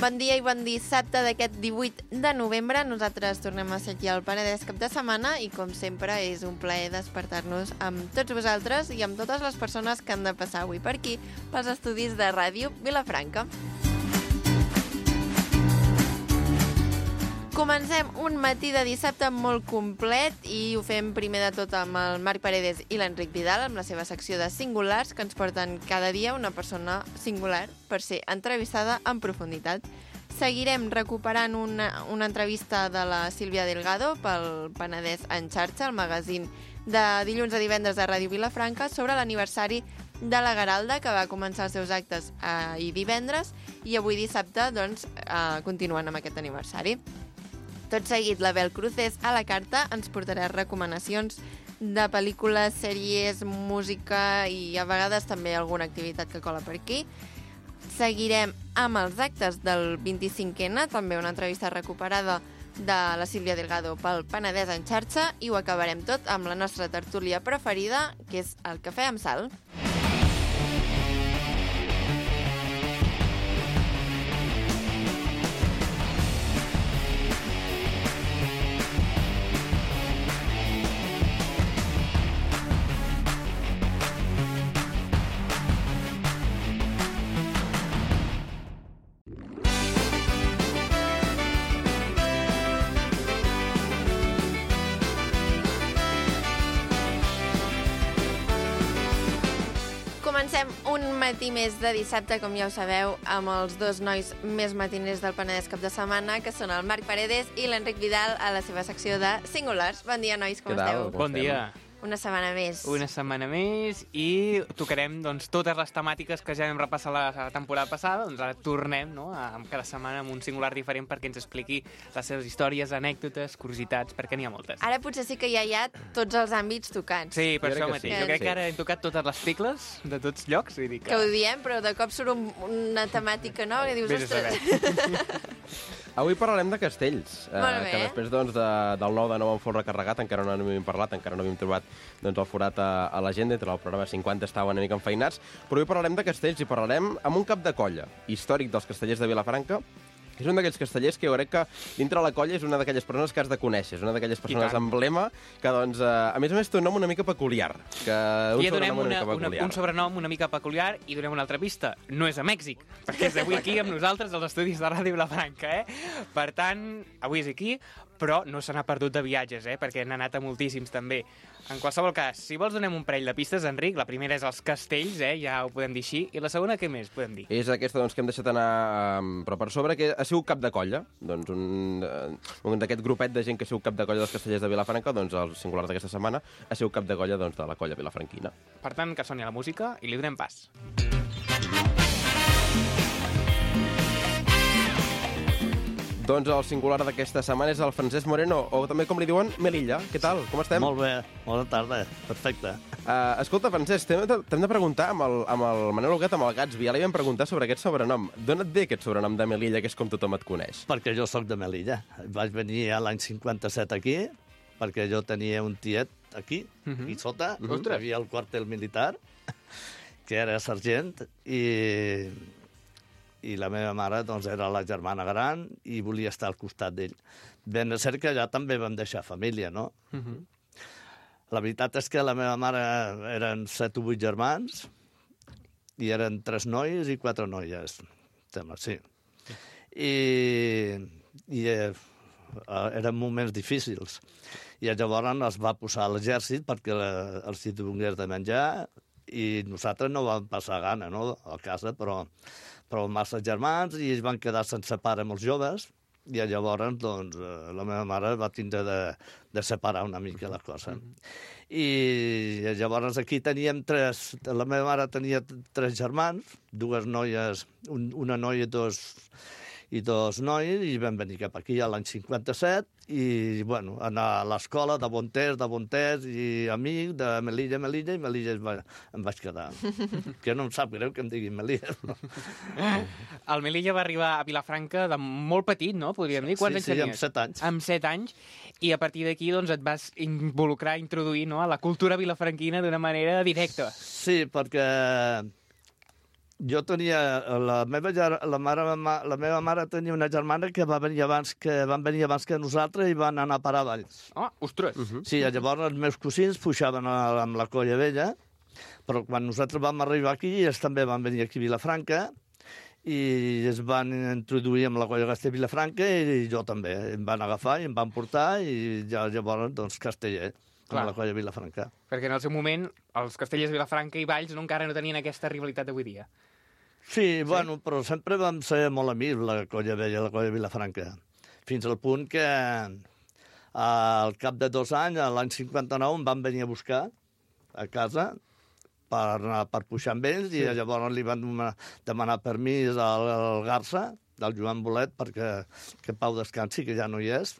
Bon dia i bon dissabte d'aquest 18 de novembre. Nosaltres tornem a ser aquí al Penedès cap de setmana i, com sempre, és un plaer despertar-nos amb tots vosaltres i amb totes les persones que han de passar avui per aquí, pels estudis de Ràdio Vilafranca. Comencem un matí de dissabte molt complet i ho fem primer de tot amb el Marc Paredes i l'Enric Vidal, amb la seva secció de Singulars, que ens porten cada dia una persona singular per ser entrevistada en profunditat. Seguirem recuperant una entrevista de la Sílvia Delgado pel Penedès en xarxa, el magazín de dilluns a divendres de Ràdio Vilafranca, sobre l'aniversari de la Garalda, que va començar els seus actes ahir divendres i avui dissabte doncs, continuen amb aquest aniversari. Tot seguit, l'Abel Cruces a la carta ens portarà recomanacions de pel·lícules, sèries, música i a vegades també alguna activitat que cola per aquí. Seguirem amb els actes del 25N, també una entrevista recuperada de la Sílvia Delgado pel Penedès en xarxa, i ho acabarem tot amb la nostra tertúlia preferida, que és el Cafè amb Sal. Comencem un matí més de dissabte, com ja ho sabeu, amb els dos nois més matiners del Penedès cap de setmana, que són el Marc Paredes i l'Enric Vidal, a la seva secció de Singulars. Bon dia, nois, com esteu? Bon dia. Una setmana més. Una setmana més i tocarem doncs, totes les temàtiques que ja vam repassar la temporada passada. Doncs ara tornem, no?, cada setmana amb un singular diferent perquè ens expliqui les seves històries, anècdotes, curiositats, perquè n'hi ha moltes. Ara potser sí que ja hi ha tots els àmbits tocats. Sí, per això mateix. Sí. Jo crec que ara hem tocat totes les tecles de tots llocs. Vull dir que ho diem, però de cop surt una temàtica nova que dius, ostres... Avui parlarem de castells, que després doncs, del 9 de 9 en fons recarregat, encara no n'havíem parlat, encara no havíem trobat doncs, el forat a l'agenda, entre el programa 50 estava una mica enfeinats, però avui parlarem de castells i parlarem amb un cap de colla històric dels castellers de Vilafranca. És un d'aquells castellers que jo crec que dintre la colla és una d'aquelles persones que has de conèixer, és una d'aquelles persones emblema que, doncs, a més té un nom una mica peculiar. I donem un sobrenom una mica peculiar i donem una altra pista. No és a Mèxic, perquè és avui aquí amb nosaltres als estudis de Ràdio Vilafranca, Per tant, avui és aquí, però no se n'ha perdut de viatges, perquè n'ha anat a moltíssims també. En qualsevol cas, si vols donem un parell de pistes, Enric. La primera és els castells, ja ho podem dir així. I la segona, què més podem dir? És aquesta doncs, que hem deixat anar però per sobre, que ha sigut cap de colla. Doncs un d'aquest grupet de gent que ha sigut cap de colla dels castellers de Vilafranca, doncs el singular d'aquesta setmana ha sigut cap de colla doncs, de la colla vilafranquina. Per tant, que soni la música i li donem pas. Doncs el singular d'aquesta setmana és el Francesc Moreno, o també com li diuen, Melilla. Què tal? Com estem? Molt bé, bona tarda, perfecte. Escolta, Francesc, t'hem de preguntar amb el Manel Huguet, amb el Gatsby, ja li vam preguntar sobre aquest sobrenom. D'on et ve aquest sobrenom de Melilla, que és com tothom et coneix? Perquè jo sóc de Melilla. Vaig venir a l'any 57 aquí, perquè jo tenia un tiet aquí, aquí sota, hi havia el quartel militar, que era sergent, i la meva mare doncs, era la germana gran i volia estar al costat d'ell. Ben cert que allà també vam deixar família, no? La veritat és que la meva mare eren 7 o 8 germans i eren 3 nois i 4 noies. Sembla, sí. I eren moments difícils. I llavors es va posar a l'exèrcit perquè els hi donés de menjar i nosaltres no vam passar gana, no?, a casa, però massa germans i es van quedar sense pare molts joves i llavors doncs, la meva mare va tindre de separar una mica la cosa. I llavors aquí teníem la meva mare tenia 3 germans, 2 noies, una noia i 2 nois, i vam venir cap aquí a l'any 57 i, bueno, anar a l'escola de Bontés, i amic de Melilla, i Melilla em vaig quedar. Que no em sap greu que em diguin Melilla. El Melilla va arribar a Vilafranca de molt petit, no? Podríem dir. Quants anys tenies? Sí, amb 7 anys. Amb 7 anys. I a partir d'aquí doncs, et vas involucrar, introduir, no?, a la cultura vilafranquina d'una manera directa. Sí, perquè Jo tenia... La meva mare tenia una germana que van venir abans que nosaltres i van anar a parar a Valls. Ostres! Sí, llavors els meus cosins pujaven amb la Colla Vella, però quan nosaltres vam arribar aquí, ells també van venir aquí a Vilafranca, i es van introduir amb la Colla Castell Vilafranca i jo també. Em van agafar i em van portar i llavors, doncs, Casteller, amb la Colla Vilafranca. Perquè en el seu moment els Castellers, Vilafranca i Valls encara no tenien aquesta rivalitat d'avui dia. Sí, bueno, però sempre vam ser molt amics, la Colla Vella i la Colla Vilafranca. Fins al punt que al cap de 2 anys, l'any 59, em van venir a buscar a casa per pujar amb ells, i llavors li van demanar permís al Garça, del Joan Bolet, perquè que Pau descansi, que ja no hi és.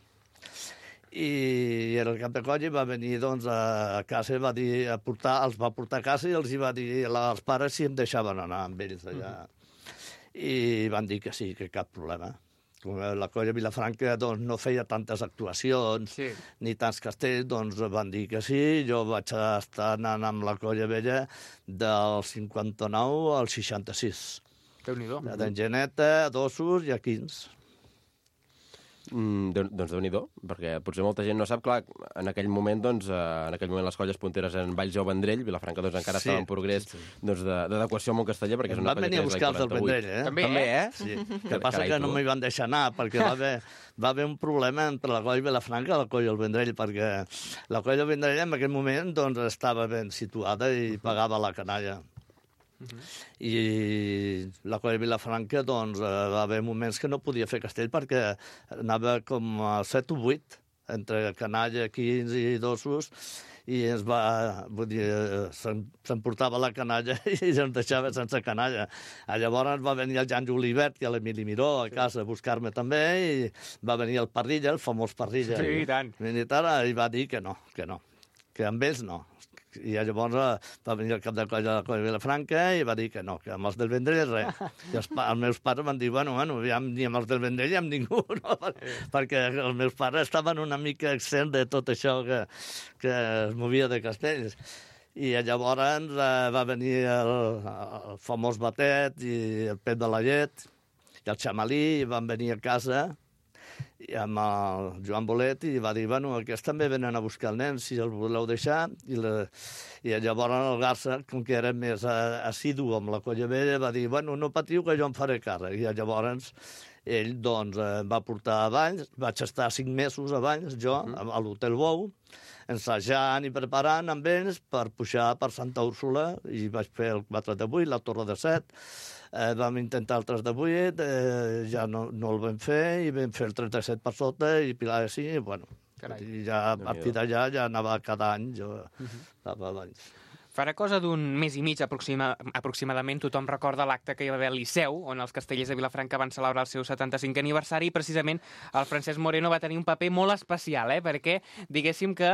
I el cap de colla va venir doncs, a casa, va dir, els va portar a casa i els va dir als pares si em deixaven anar amb ells allà. I van dir que sí, que cap problema. Com la Colla Vilafranca doncs, no feia tantes actuacions, ni tants castells, doncs van dir que sí. Jo vaig estar anant amb la Colla Vella del 59 al 66. Déu-n'hi-do. D'Engeneta, d'Ossos i a Quins. Doncs Déu-n'hi-do, perquè potser molta gent no sap, clar, en aquell moment les colles punteres eren Valls o Vendrell, Vilafranca doncs encara estava en progrés d'adequació al món casteller, perquè és una colla que és van venir a buscar els del Vendrell, També, Sí. Que passa que no m'hi van deixar anar, perquè va haver un problema entre la colla Vilafranca i la colla del Vendrell, perquè la colla del Vendrell en aquell moment doncs, estava ben situada i pagava la canalla. I la Colla Vilafranca doncs, va haver moments que no podia fer castell perquè anava com a 7 o 8 entre canalla, 15 i Dossos, i ens va, vull dir, s'emportava la canalla i ens deixava sense canalla. Llavors va venir el Jan Julivert i l'Emili Miró a casa a buscar-me també, i va venir el Parrilla, el famós Parrilla, militar, i va dir que no, que amb ells no. I llavors va venir el cap de colla de la Colla Vilafranca i va dir que no, que amb els del Vendrell res. I els meus pares van dir, bueno, ja ni amb els del Vendrell ni amb ningú, no? Perquè els meus pares estaven una mica exempts de tot això que es movia de castells. I llavors va venir el famós Batet i el Pep de la Llet i el Xamalí, i van venir a casa i amb el Joan Bolet, i va dir, bueno, aquests també venen a buscar el nen, si el voleu deixar. I llavors el Garça, com que era més assidu amb la Colla Vella, va dir, bueno, no patiu que jo em faré càrrec. I llavors ell doncs, em va portar a Valls, vaig estar 5 mesos a Valls, jo, a l'Hotel Bou, ensajant i preparant amb ells per pujar per Santa Úrsula, i vaig fer el 4 de 8, la Torre de 7, vam intentar el 3 de 8, ja no el vam fer, i vam fer el 37 per sota, i Pilar de 5, i bueno, i ja a partir d'allà ja anava cada any, jo anava a Valls. Farà cosa d'un mes i mig aproximadament, tothom recorda l'acte que hi va haver al Liceu, on els Castellers de Vilafranca van celebrar el seu 75è aniversari, i precisament el Francesc Moreno va tenir un paper molt especial, perquè diguéssim que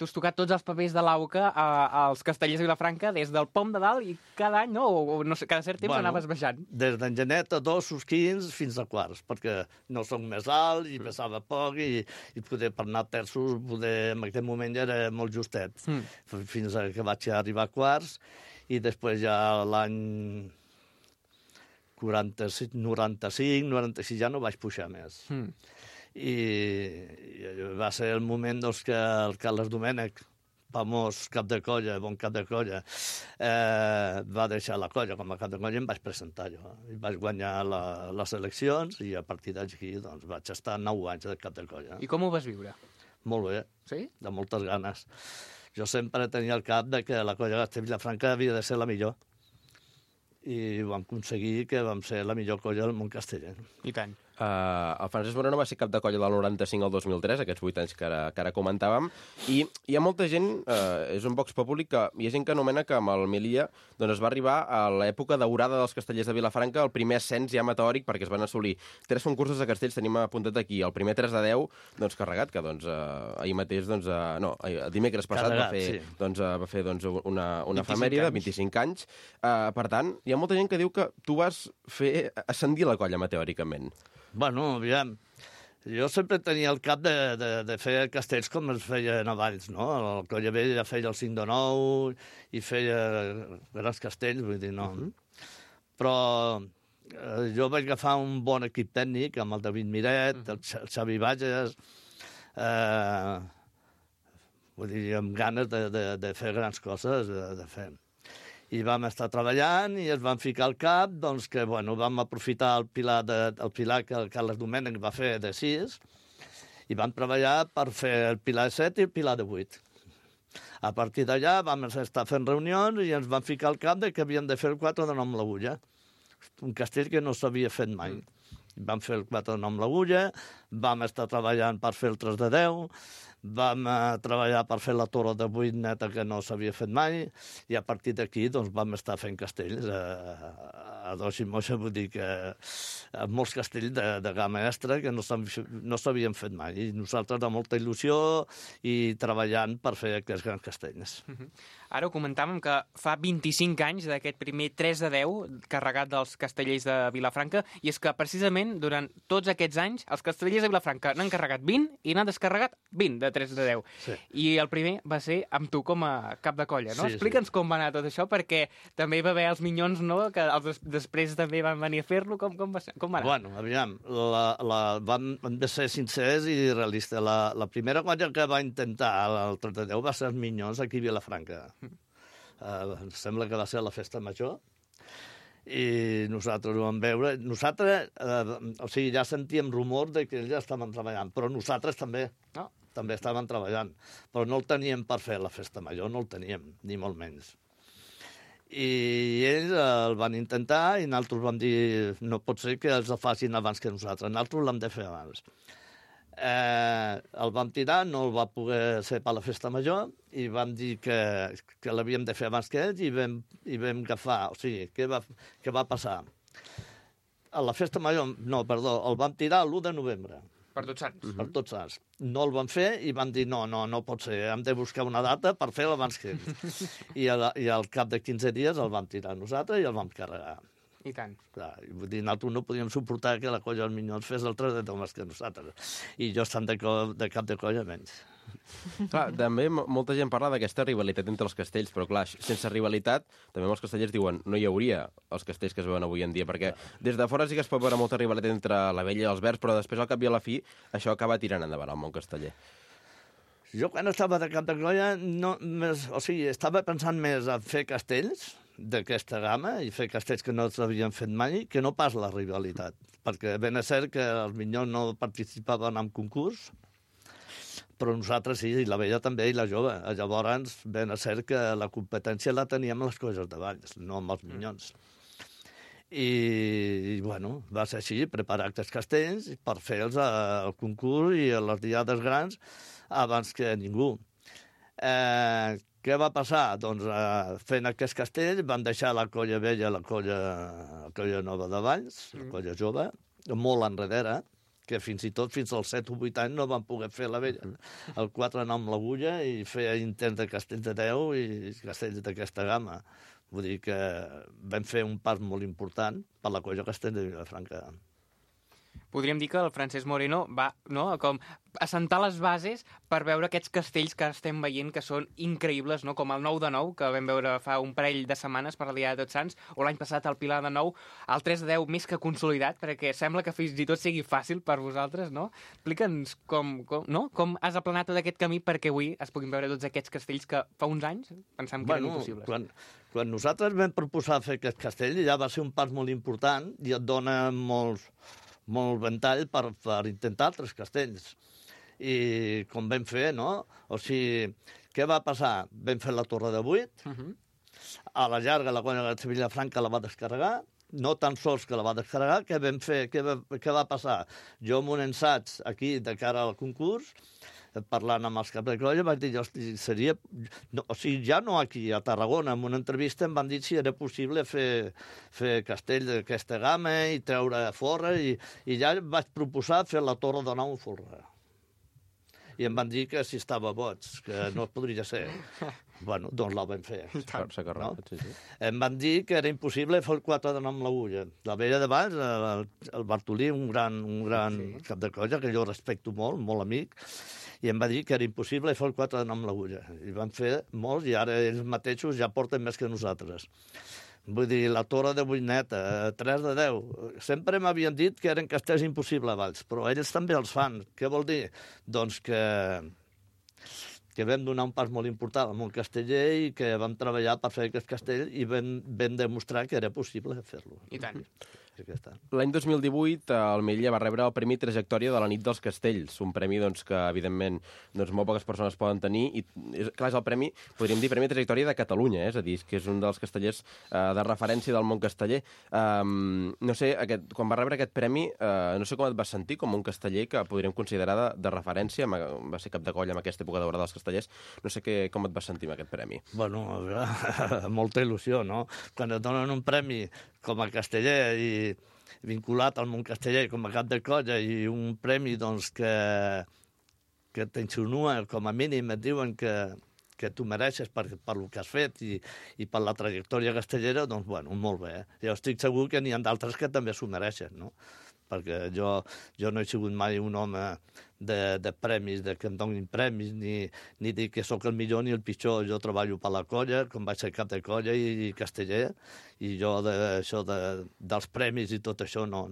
tu has tocat tots els papers de l'AUCA als Castellers de Vilafranca des del pom de dalt, i cada any, no? O no sé, cada cert temps anaves baixant. Des d'Engeneta, 2, 15, fins a quarts, perquè no som més alt i pesava poc, i poder per anar a terços, en aquell moment ja era molt justet, fins que vaig arribar a quarts, i després ja l'any 95, 96, ja no vaig pujar més. I va ser el moment doncs, que el Carles Domènech, famós cap de colla, bon cap de colla, va deixar la colla com a cap de colla, i em vaig presentar jo. I vaig guanyar les eleccions, i a partir d'aquí doncs, vaig estar 9 anys de cap de colla. I com ho vas viure? Molt bé, sí? De moltes ganes. Jo sempre tenia al cap que la Colla Castell Vilafranca havia de ser la millor. I vam aconseguir que vam ser la millor colla del món casteller. I tant. El Francesc Moreno va ser cap de colla del 95 al 2003, aquests 8 anys que ara comentàvem, i hi ha molta gent, és un vox populi, que hi ha gent que anomena que amb el Melia doncs es va arribar a l'època daurada dels castellers de Vilafranca, el primer ascens ja meteòric, perquè es van assolir 3 concursos de castells, tenim apuntat aquí, el primer 3 de 10, doncs carregat, que doncs ahir mateix, doncs, dimecres passat va fer una efemèride, 25 anys. Per tant, hi ha molta gent que diu que tu vas fer ascendir la colla meteòricament. Bueno, aviam, jo sempre tenia el cap de fer castells com es feien a Valls, no? El Colla Vella feia el 5 de 9 i feia grans castells, vull dir, no. Però jo vaig agafar un bon equip tècnic, amb el David Miret, el Xavi Bages, vull dir, amb ganes de fer grans coses, de fer. I vam estar treballant i es van ficar al cap doncs, que bueno, vam aprofitar el pilar que el Carles Domènech va fer de 6 i vam treballar per fer el pilar de 7 i el pilar de 8. A partir d'allà vam estar fent reunions i ens van ficar al cap de que havíem de fer el 4 de 9 amb l'agulla, un castell que no s'havia fet mai. Vam fer el 4 de 9 amb l'agulla, vam estar treballant per fer el 3 de 10, vam treballar per fer la torre de 8 neta que no s'havia fet mai i a partir d'aquí doncs, vam estar fent castells a dos i moixa, vull dir que molts castells de gamma extra que no s'havien fet mai i nosaltres amb molta il·lusió i treballant per fer aquests grans castells. Ara ho comentàvem que fa 25 anys d'aquest primer 3 de 10 carregat dels castellers de Vilafranca i és que precisament durant tots aquests anys els castellers de Vilafranca n'han carregat 20 i n'han descarregat 20 de 3 de 10. Sí. I el primer va ser amb tu com a cap de colla, no? Sí, explica'ns com va anar tot això, perquè també hi va haver els minyons, no?, que després també van venir a fer-lo. Com va anar? Bueno, aviam, vam de ser sincers i realistes. La primera colla que va intentar el 3 de 10 va ser els minyons aquí a Vilafranca. Sembla que va ser a la festa major i nosaltres ho vam veure. Nosaltres, o sigui, ja sentíem rumors de que ells ja estaven treballant, però nosaltres també. No. També estaven treballant, però no el teníem per fer la festa major, no el teníem, ni molt menys. I ells el van intentar i nosaltres vam dir no pot ser que els el facin abans que nosaltres, nosaltres l'hem de fer abans. El vam tirar, no el va poder ser per la festa major i vam dir que l'havíem de fer abans que ells i vam agafar, o sigui, què va passar? A la festa major, no, perdó, el vam tirar l'1 de novembre. Per Tots Sants. Per Tots Sants. No el van fer i van dir no pot ser, hem de buscar una data per fer-lo abans que ells. I al cap de 15 dies el vam tirar nosaltres i el vam carregar. I tant. Clar, vull dir, nosaltres no podíem suportar que la colla dels minyons fes el 3 de 10 més que nosaltres. I jo estant de cap de colla menys. Clar, també molta gent parla d'aquesta rivalitat entre els castells, però clar, sense rivalitat, també molts castellers diuen no hi hauria els castells que es veuen avui en dia, perquè des de fora sí que es pot veure molta rivalitat entre la vella i els verds, però després al cap i a la fi això acaba tirant endavant el món casteller. Jo quan estava de cap de colla, estava pensant més en fer castells d'aquesta gamma i fer castells que no s'havien fet mai, que no pas la rivalitat, perquè ben és cert que els minyons no participaven en concurs, però nosaltres sí, i la vella també, i la jove. Llavors, ben és cert que la competència la teníem amb les colles de Valls, no amb els minyons. I bueno, va ser així, preparar aquests castells per fer-los al concurs i a les diades grans abans que ningú. Què va passar? Doncs fent aquests castells van deixar la colla vella, la colla nova de Valls, la colla jove, molt enrere, que fins i tot fins als 7 o 8 anys no van poder fer la vella. El 4 anar amb l'agulla i fer intents de castells de 10 i castells d'aquesta gamma. Vull dir que vam fer un pas molt important per la colla castell de Vilafranca. Podríem dir que el Francesc Moreno va com assentar les bases per veure aquests castells que estem veient que són increïbles, no? Com el 9 de 9, que vam veure fa un parell de setmanes per la Diada de Tots Sants, o l'any passat el Pilar de 9, el 3 de 10 més que consolidat, perquè sembla que fins i tot sigui fàcil per vosaltres, no? Explica'ns com has aplanat tot aquest camí perquè avui es puguin veure tots aquests castells que fa uns anys pensàvem que eren impossibles. Quan nosaltres vam proposar fer aquest castell ja va ser un pas molt important i et dona molt ventall per intentar altres castells. I com vam fer, no? O sigui, què va passar? Vam fer la torre de 8, a la llarga la colla de Vilafranca la va descarregar, no tan sols que la va descarregar, què vam fer? Què va passar? Jo amb un ensaig aquí de cara al concurs, parlant amb els caps de colla, vaig dir, seria... O sigui, ja no aquí, a Tarragona, en una entrevista em van dir si era possible fer castell d'aquesta gamma i treure forra, i ja vaig proposar fer la torre de 9 forra. I em van dir que si estava boig, que no podria ser. Bueno, doncs la vam fer. No? Em van dir que era impossible fer el 4 de 9 amb l'agulla. La vella de Valls, el Bartolí, un gran cap de colla, que jo respecto molt, molt amic, i em va dir que era impossible fer el 4 de 9 amb l'agulla. I van fer molts, i ara ells mateixos ja porten més que nosaltres. Vull dir, la Torre de Buineta, 3 de 10. Sempre m'havien dit que eren castells impossibles a Valls, però ells també els fan. Què vol dir? Doncs que vam donar un pas molt important al món casteller i que vam treballar per fer aquest castell i vam demostrar que era possible fer-lo. I tant. L'any 2018 el Melilla va rebre el Premi Trajectòria de la Nit dels Castells, un premi que, evidentment, molt poques persones poden tenir. I, clar, és el premi, podríem dir, Premi Trajectòria de Catalunya, és a dir, que és un dels castellers de referència del món casteller. No sé, quan va rebre aquest premi, no sé com et vas sentir com un casteller que podríem considerar de referència, va ser cap de colla en aquesta època daurada dels castellers. No sé com et vas sentir amb aquest premi. Bueno, molta il·lusió, no? Quan et donen un premi com a casteller i vinculat al món casteller com a cap de colla i un premi doncs, que t'insinua, com a mínim et diuen que tu mereixes per el que has fet i per la trajectòria castellera, doncs, bueno, molt bé. Jo estic segur que n'hi ha d'altres que també s'ho mereixen, no? Perquè jo no he sigut mai un home de premis, de que em donin premis, ni dir que sóc el millor ni el pitjor. Jo treballo per la colla, com vaig ser cap de colla i casteller, i jo dels premis i tot això no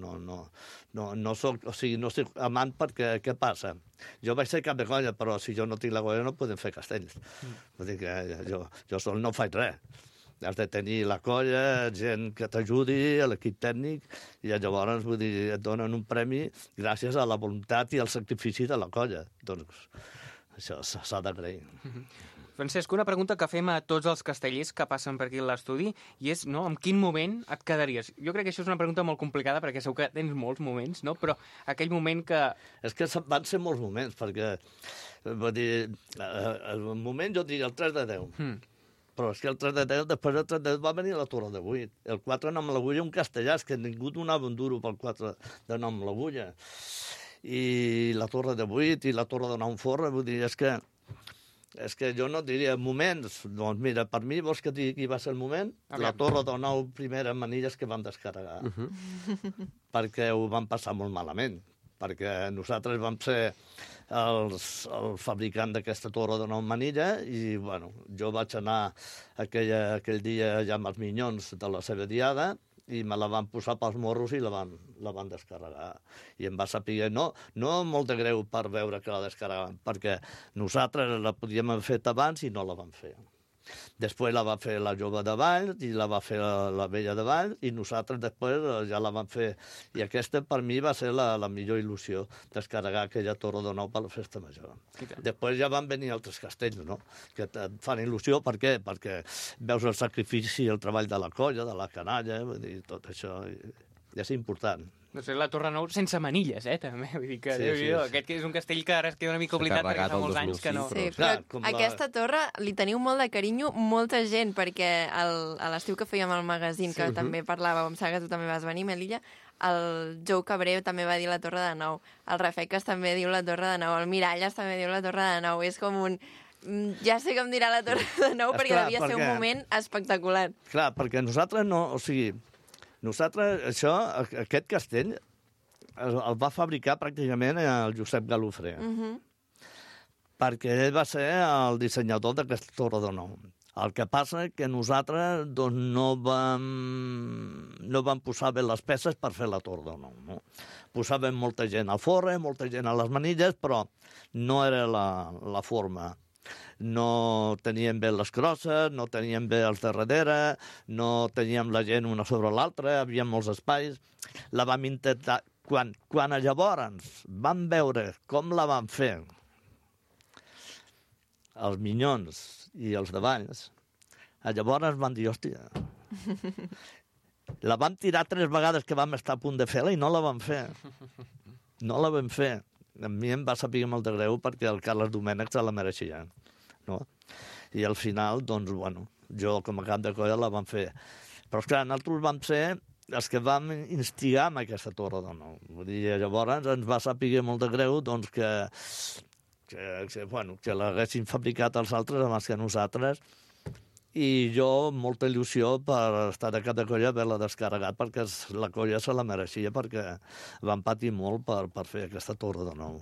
soc, o sigui, no soc amant perquè què passa? Jo vaig ser cap de colla, però si jo no tinc la colla no podem fer castells. Vull dir que jo sol no faig res. Has de tenir la colla, gent que t'ajudi, l'equip tècnic, i llavors, vull dir, et donen un premi gràcies a la voluntat i al sacrifici de la colla. Doncs això s'ha d'agrair. Francesc, una pregunta que fem a tots els castellers que passen per aquí a l'estudi, i és, no, en quin moment et quedaries? Jo crec que això és una pregunta molt complicada, perquè segur que tens molts moments, no? Però aquell moment que... És que van ser molts moments, perquè, vull dir, el moment jo diria el 3 de 10. Però és que el 3 de 10, després del 3 de 10 va venir la Torre de 8. El 4 nom l'agulla, un castellà, és que ningú donava un duro pel 4 de nom l'agulla. I la Torre de 8 i la Torre de 9 forra, vull dir, és que jo no diria moments. Doncs mira, per mi, vols que digui qui va ser el moment? La Torre de 9 primeres manilles que van descarregar. Perquè ho van passar molt malament. Perquè nosaltres vam ser el fabricant d'aquesta torre de 9 manilla i, bueno, jo vaig anar aquell dia ja amb els minyons de la seva diada i me la van posar pels morros i la van descarregar. I em va saber, no molt de greu per veure que la descarregaven, perquè nosaltres la podíem haver fet abans i no la vam fer. Després la va fer la jove de Valls i la va fer la vella de Valls i nosaltres després ja la vam fer. I aquesta per mi va ser la millor il·lusió, descarregar aquella torre de 9 per la festa major. Després ja van venir altres castells, no? Que et fan il·lusió. Per què? Perquè veus el sacrifici i el treball de la colla, de la canalla, i tot això és important. No sé, la Torre Nou sense manilles, també. Vull dir que, sí. Aquest és un castell que ara es queda una mica oblidat perquè fa molts anys que no... Sí, però aquesta torre li teniu molt de carinyo molta gent, perquè a l'estiu que fèiem el magazín, que també parlàveu amb Saga, tu també vas venir, Melilla, el Jou Cabré també va dir la Torre de Nou, el Rafecas també diu la Torre de Nou, el Miralles també diu la Torre de Nou, és com un... Ja sé com dirà la Torre de Nou, perquè devia ser un moment espectacular. Clar, perquè nosaltres no... O sigui, nosaltres, aquest castell el va fabricar pràcticament el Josep Galofré, perquè ell va ser el dissenyador d'aquesta Torre de Nou. El que passa és que nosaltres doncs, no vam posar bé les peces per fer la Torre de Nou. No? Posàvem molta gent al forre, molta gent a les manilles, però no era la forma. No teníem bé les crosses, no teníem bé els de darrere, no teníem la gent una sobre l'altra, hi havia molts espais. La vam intentar... Quan llavors vam veure com la van fer els minyons i els de Valls, llavors van dir, hòstia, la vam tirar 3 vegades que vam estar a punt de fer-la i no la vam fer. No la vam fer. A mi em va saber molt de greu perquè el Carles Domènech se la mereixia. No? I al final, doncs, bueno, jo com a cap de colla la vam fer. Però, esclar, nosaltres vam ser els que vam instigar amb aquesta torre de nou. Vull dir, llavors ens va saber molt de greu doncs, que l'haguessin fabricat els altres abans que nosaltres, i jo molta il·lusió per estar a cap de colla haver-la descarregat, perquè la colla se la mereixia, perquè van patir molt per fer aquesta torre de nou.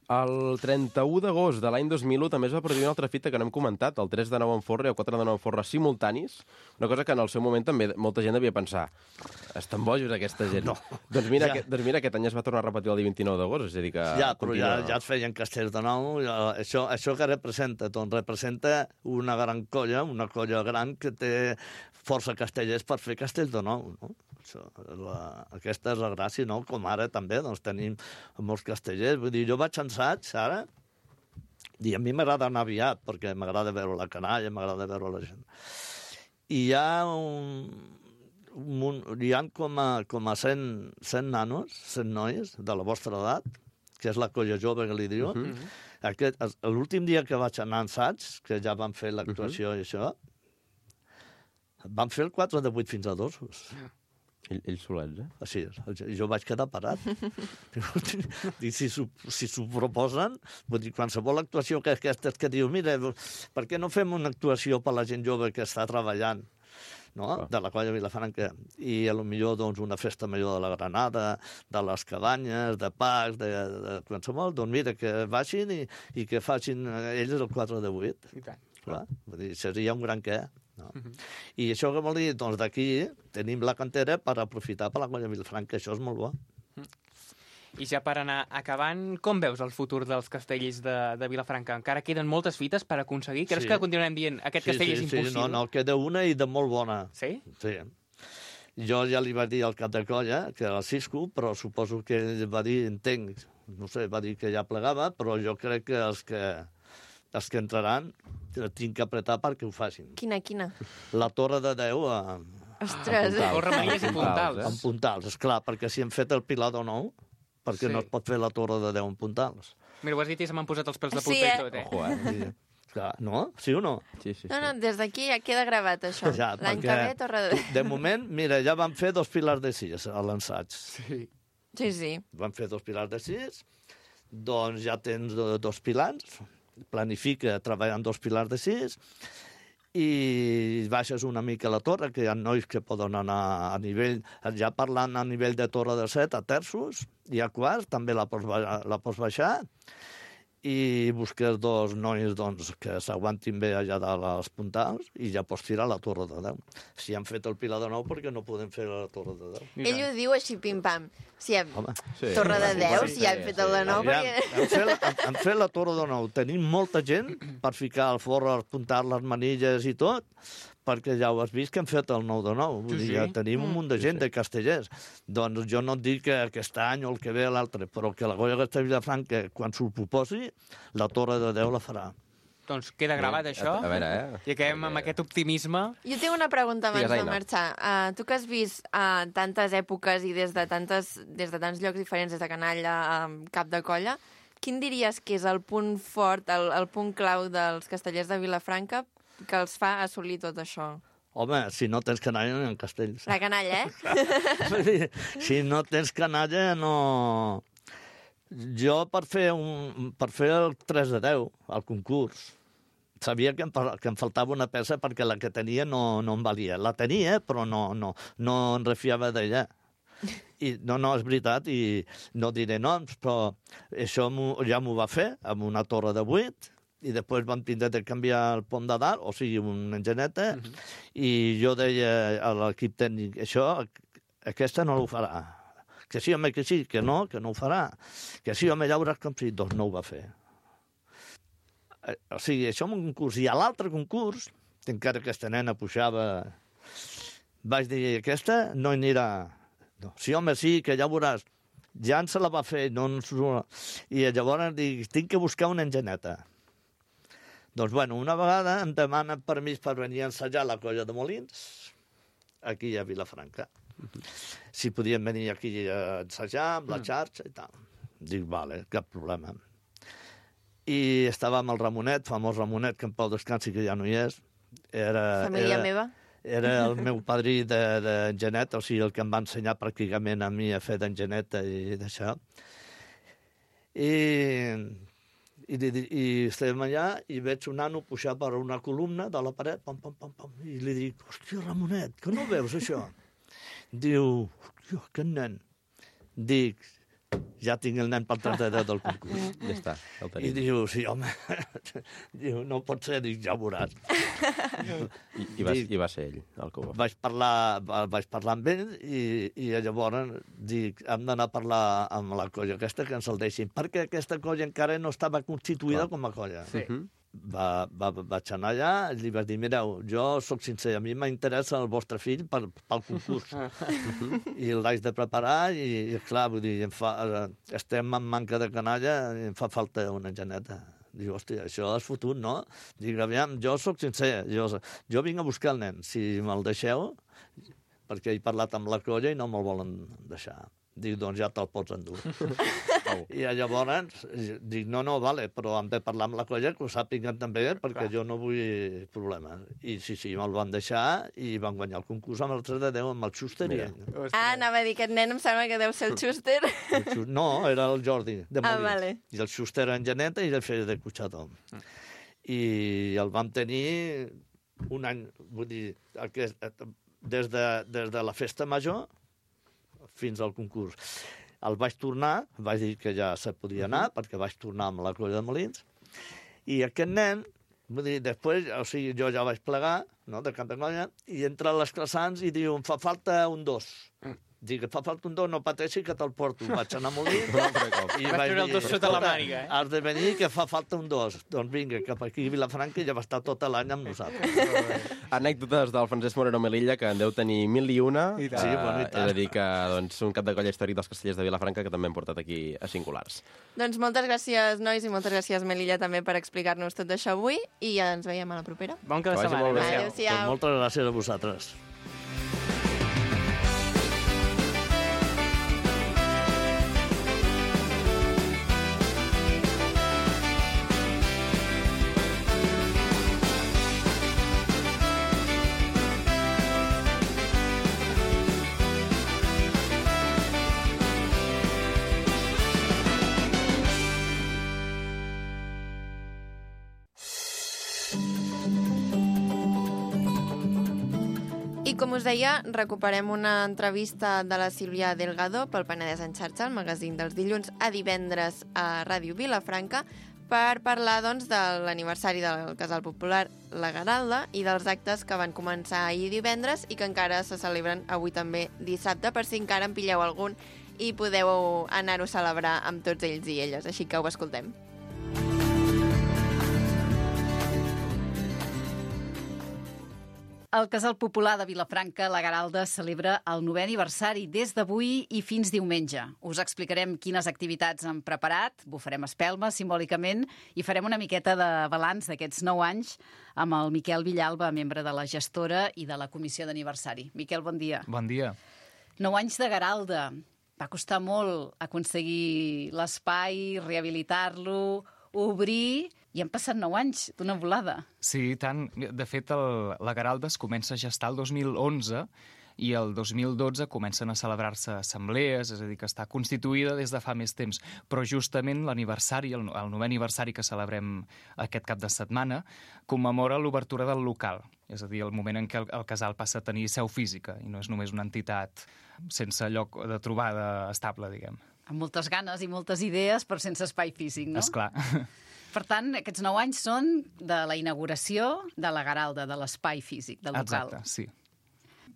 El 31 d'agost de l'any 2001 també es va produir una altra fita que no hem comentat, el 3 de 9 en Forra i el 4 de 9 en Forra simultanis, una cosa que en el seu moment també molta gent devia pensar, estan bojos aquesta gent. No. Doncs mira, aquest any es va tornar a repetir el dia 29 d'agost, és a dir que... Ja, però ja es feien castells de nou. Això que representa? Doncs representa una gran colla, una colla gran que té força castellers per fer castells de nou, no? Aquesta és la gràcia, no? Com ara també, doncs tenim molts castellers. Vull dir, jo vaig a assaig ara i a mi m'agrada anar aviat perquè m'agrada veure la canalla, m'agrada veure la gent. I hi ha com a 100 nanos, 100 noies de la vostra edat, que és la colla jove que li diuen. L'últim dia que vaig anar a assaig, que ja vam fer l'actuació i això, vam fer el 4 de 8 fins a 2. Ells solets, Així és. Jo vaig quedar parat. Dic, si s'ho proposen, vull dir, qualsevol actuació que aquestes que diu, mira, per què no fem una actuació per la gent jove que està treballant, no? De la colla Vilafranca, i potser doncs, una festa major de la Granada, de les cabanyes, de Pacs, de qualsevol, doncs mira, que vagin i que facin ells el 4 de 8. I tant. Clar, vull dir, seria un gran què. No? I això què vol dir? Doncs d'aquí tenim la cantera per aprofitar per la colla Vilafranca, això és molt bo. I ja per anar acabant, com veus el futur dels castells de Vilafranca? Encara queden moltes fites per aconseguir? Creus que continuarem dient aquest castell és impossible? Sí, no, queda una i de molt bona. Sí? Sí. Jo ja li vaig dir al cap de colla, que era el Cisco, però suposo que ell va dir, entenc, no sé, va dir que ja plegava, però jo crec que els que entraran tinc que apretar perquè ho facin. Quina? La Torre de Déu Ostres! O Remeies i Puntals. En Puntals, esclar, perquè si hem fet el Pilar de Nou, perquè no es pot fer la Torre de Déu en Puntals. Mira, ho has dit i se m'han posat els pèls de punta i tot, Ojo, Clar, no? Sí o no? Sí. No, des d'aquí ja queda gravat, això. Ja, l'any que ve, Torre de Déu. De moment, mira, ja van fer 2 pilars de 6 a l'ensaig. Sí. Van fer 2 pilars de 6, doncs ja tens 2 pilars, planifica treballar en 2 pilars de 6 i baixes una mica a la torre, que hi ha nois que poden anar a nivell, ja parlant a nivell de torre de 7, a terços, i a quarts també la pots baixar, i busques 2 nois doncs, que s'aguantin bé allà dalt als puntals i ja pots tirar la Torre de Déu. Si han fet el Pilar de Nou, perquè no podem fer la Torre de Déu? Ell ho diu així, pim-pam. Si hem Sí. Torre de Déu, si han fet el de Nou, perquè... Han fet la Torre de Nou. Tenim molta gent per ficar el forro, els puntals, les manilles i tot, perquè ja ho has vist que han fet el 9 de 9. Vull dir, ja tenim un munt de gent de castellers. Doncs jo no et dic que aquest any o el que ve l'altre, però que la colla Castell Vilafranca, quan s'ho proposi, la Torre de Déu la farà. Doncs queda gravat això. A veure, I acabem amb aquest optimisme. Jo tinc una pregunta abans Digues, de marxar. Tu que has vist tantes èpoques i des de tants llocs diferents, des de canalla a cap de colla, quin diries que és el punt fort, el punt clau dels castellers de Vilafranca que els fa assolir tot això? Home, si no tens canalla, no hi ha castells. La canalla, eh? Si no tens canalla, no... Jo, per fer el 3 de 10, al concurs, sabia que em faltava una peça perquè la que tenia no em valia. La tenia, però no em refiava d'ella. I no, és veritat, i no diré noms, però això ja m'ho va fer amb una torre de 8, i després vam tindre de canviar el pont de dalt, o sigui, una engineta, i jo deia a l'equip tècnic, aquesta no ho farà. Que sí, home, que sí, que no ho farà. Que sí, home, ja veuràs com sí. Doncs no ho va fer. O sigui, això en un concurs. I a l'altre concurs, encara que aquesta nena pujava, vaig dir, aquesta no hi anirà. No. Sí, home, sí, que ja veuràs. Ja se la va fer. I llavors dic, tinc que buscar una engineta. Doncs, bueno, una vegada em demanen permís per venir a ensejar la colla de Molins, aquí a Vilafranca. Si podien venir aquí a ensejar amb la xarxa i tal. Dic, vale, cap problema. I estava amb el Ramonet, famós Ramonet, que en pau descansi, que ja no hi és. Família meva. Era el meu padrí d'engineta, o sigui, el que em va ensenyar pràcticament a mi a fer d'engineta i d'això. I estàvem allà i veig un nano pujar per una columna de la paret, pam, pam, pam, pam, i li dic, hòstia, Ramonet, que no veus això? Diu, hòstia, aquest nen. Dic, ja tinc el nen pel 33 del concurs. Ja està, el I tenim. diu, sí, home, diu, no pot ser, dic, ja ho veuràs. I va ser ell el que ho va fer. Vaig parlar amb ell i llavors dic, hem d'anar a parlar amb la colla aquesta que ens el deixin, perquè aquesta colla encara no estava constituïda com a colla. Sí. Vaig anar allà i li vaig dir, mireu, jo sóc sincer, a mi m'interessa el vostre fill pel concurs. I el vaig de preparar i clar, vull dir, estem en manca de canalla i em fa falta una geneta. Diu, hòstia, això és fotut, no? Dic, aviam, jo sóc sincer, jo vinc a buscar el nen, si me'l deixeu, perquè he parlat amb la colla i no me'l volen deixar. Dic, doncs ja te'l pots endur. I llavors dic, no, vale, però hem de parlar amb la colla, que ho sàpiguen també, perquè jo no vull problemes. I sí, me'l van deixar i van guanyar el concurs amb el 3 de 10 amb el Schuster. Anava a dir, aquest nen em sembla que deu ser el Schuster. No, era el Jordi, de Molins. Vale. I el Schuster en geneta i el feia de Cucható. I el vam tenir un any, vull dir, des de la festa major fins al concurs. El vaig tornar, vaig dir que ja se podia anar, perquè vaig tornar amb la colla de Molins, i aquest nen, vull dir, després, o sigui, jo ja vaig plegar, no?, de cap de colla, i entra a les classants i diu, em fa falta un 2. Dic, fa falta un 2, no pateixi que te'l porto. Vaig anar a Molins i vaig treure el 2 sota la màniga. Has de venir, que fa falta un 2. Doncs vinga, cap aquí a Vilafranca i ja va estar tot l'any amb nosaltres. Anècdotes del Francesc Moreno Melilla, que en deu tenir 1001. Sí, bueno, i tant. He de dir que doncs, un cap de colla històric dels Castellers de Vilafranca que també hem portat aquí a Singulars. Doncs moltes gràcies, nois, i moltes gràcies, Melilla, també per explicar-nos tot això avui, i ja ens veiem a la propera. Bon cap de setmana. Adéu-siau. Doncs moltes gràcies a vosaltres. I com us deia, recuperem una entrevista de la Sílvia Delgado pel Penedès en xarxa, el magazín dels dilluns a divendres a Ràdio Vilafranca, per parlar doncs, de l'aniversari del Casal Popular La Garalda i dels actes que van començar ahir divendres i que encara se celebren avui també dissabte, per si encara en pilleu algun i podeu anar-ho a celebrar amb tots ells i elles. Així que ho escoltem. El Casal Popular de Vilafranca, La Garalda, celebra el 9è aniversari des d'avui i fins diumenge. Us explicarem quines activitats han preparat, bufarem espelma simbòlicament i farem una miqueta de balanç d'aquests 9 anys amb el Miquel Villalba, membre de la gestora i de la comissió d'aniversari. Miquel, bon dia. Bon dia. 9 anys de Garalda. Va costar molt aconseguir l'espai, rehabilitar-lo, obrir... I han passat 9 anys d'una volada. Sí, tant. De fet, la Garalda es comença a gestar el 2011 i el 2012 comencen a celebrar-se assemblees, és a dir, que està constituïda des de fa més temps. Però justament l'aniversari, el 9è aniversari que celebrem aquest cap de setmana, commemora l'obertura del local. És a dir, el moment en què el casal passa a tenir seu física i no és només una entitat sense lloc de trobada estable, diguem. Amb moltes ganes i moltes idees, però sense espai físic, no? Esclar. Per tant, aquests 9 anys són de la inauguració de la Garalda, de l'espai físic del local. Exacte, sí.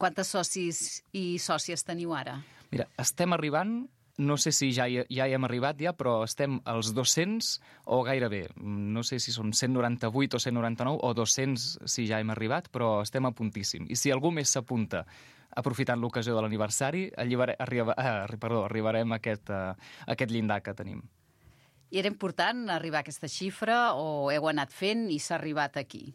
Quantes socis i sòcies teniu ara? Mira, estem arribant, no sé si ja hi hem arribat però estem als 200 o gairebé. No sé si són 198 o 199 o 200 si ja hem arribat, però estem a puntíssim. I si algú més s'apunta aprofitant l'ocasió de l'aniversari, arribarem a aquest llindar que tenim. I era important arribar a aquesta xifra o heu anat fent i s'ha arribat aquí?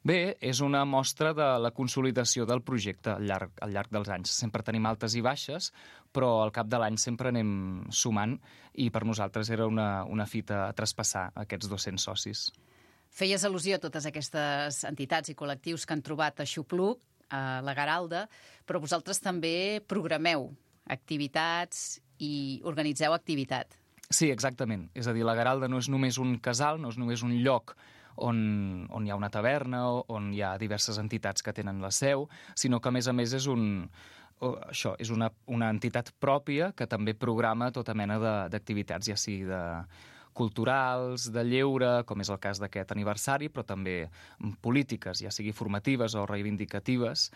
Bé, és una mostra de la consolidació del projecte al llarg dels anys. Sempre tenim altes i baixes, però al cap de l'any sempre anem sumant i per nosaltres era una fita a traspassar aquests 200 socis. Feies al·lusió a totes aquestes entitats i col·lectius que han trobat a Xupluc, a la Garalda, però vosaltres també programeu activitats i organitzeu activitat. Sí, exactament. És a dir, la Garalda no és només un casal, no és només un lloc on hi ha una taverna, on hi ha diverses entitats que tenen la seu, sinó que, a més és un això, és una entitat pròpia que també programa tota mena d'activitats, ja sigui de culturals, de lleure, com és el cas d'aquest aniversari, però també polítiques, ja sigui formatives o reivindicatives,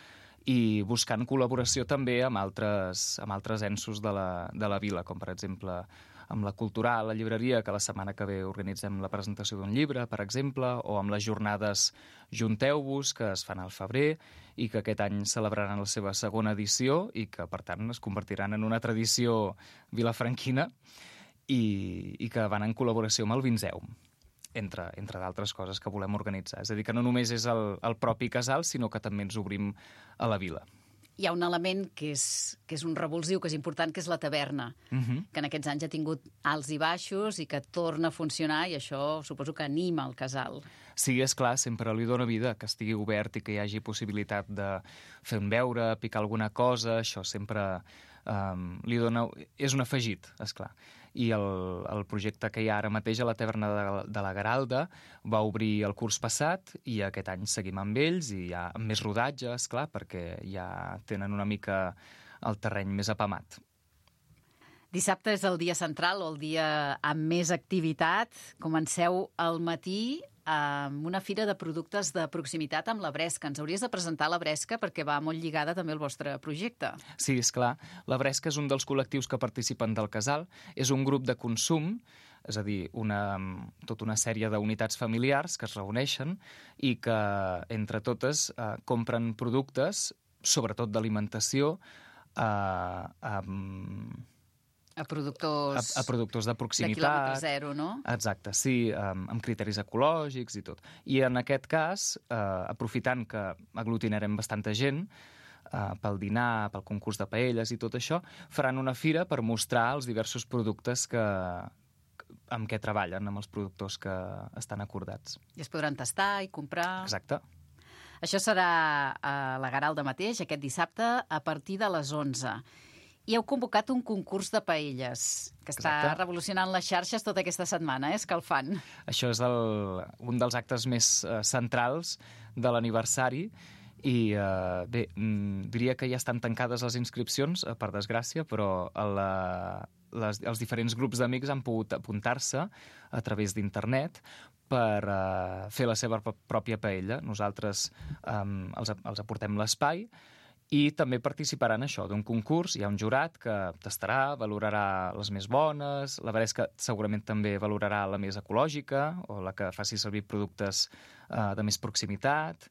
i buscant col·laboració també amb altres ensos de la vila, com per exemple amb la cultural, la llibreria, que la setmana que ve organitzem la presentació d'un llibre, per exemple, o amb les jornades Junteu-vos, que es fan al febrer i que aquest any celebraran la seva segona edició i que, per tant, es convertiran en una tradició vilafranquina i que van en col·laboració amb el Vinzeum, entre d'altres coses que volem organitzar. És a dir, que no només és el propi casal, sinó que també ens obrim a la vila. Hi ha un element que és un revulsiu, que és important, que és la taverna, que en aquests anys ha tingut alts i baixos i que torna a funcionar, i això suposo que anima el casal. Sí, és clar, sempre li dóna vida que estigui obert i que hi hagi possibilitat de fer un beure, picar alguna cosa, això sempre li dona... És un afegit, és clar. I el projecte que hi ha ara mateix a la taverna de la Garalda va obrir el curs passat i aquest any seguim amb ells i hi ha més rodatge, esclar, perquè ja tenen una mica el terreny més apamat. Dissabte és el dia central o el dia amb més activitat. Comenceu al matí amb una fira de productes de proximitat amb la Bresca. Ens hauries de presentar la Bresca perquè va molt lligada també al vostre projecte. Sí, és clar. La Bresca és un dels col·lectius que participen del casal. És un grup de consum, és a dir, tota una sèrie d'unitats familiars que es reuneixen i que, entre totes, compren productes, sobretot d'alimentació, A productors... A productors de proximitat. De quilòmetre zero, no? Exacte, sí, amb criteris ecològics i tot. I en aquest cas, aprofitant que aglutinarem bastanta gent, pel dinar, pel concurs de paelles i tot això, faran una fira per mostrar els diversos productes amb què treballen, amb els productors que estan acordats. I es podran tastar i comprar... Exacte. Això serà a la Garalda mateix, aquest dissabte, a partir de les 11. I heu convocat un concurs de paelles, que està revolucionant les xarxes tota aquesta setmana, escalfant. Això és un dels actes més centrals de l'aniversari i, bé, diria que ja estan tancades les inscripcions, per desgràcia, però els diferents grups d'amics han pogut apuntar-se a través d'internet per fer la seva pròpia paella. Nosaltres els aportem l'espai i també participaran això d'un concurs. Hi ha un jurat que tastarà, valorarà les més bones, la Bresca segurament també valorarà la més ecològica o la que faci servir productes de més proximitat.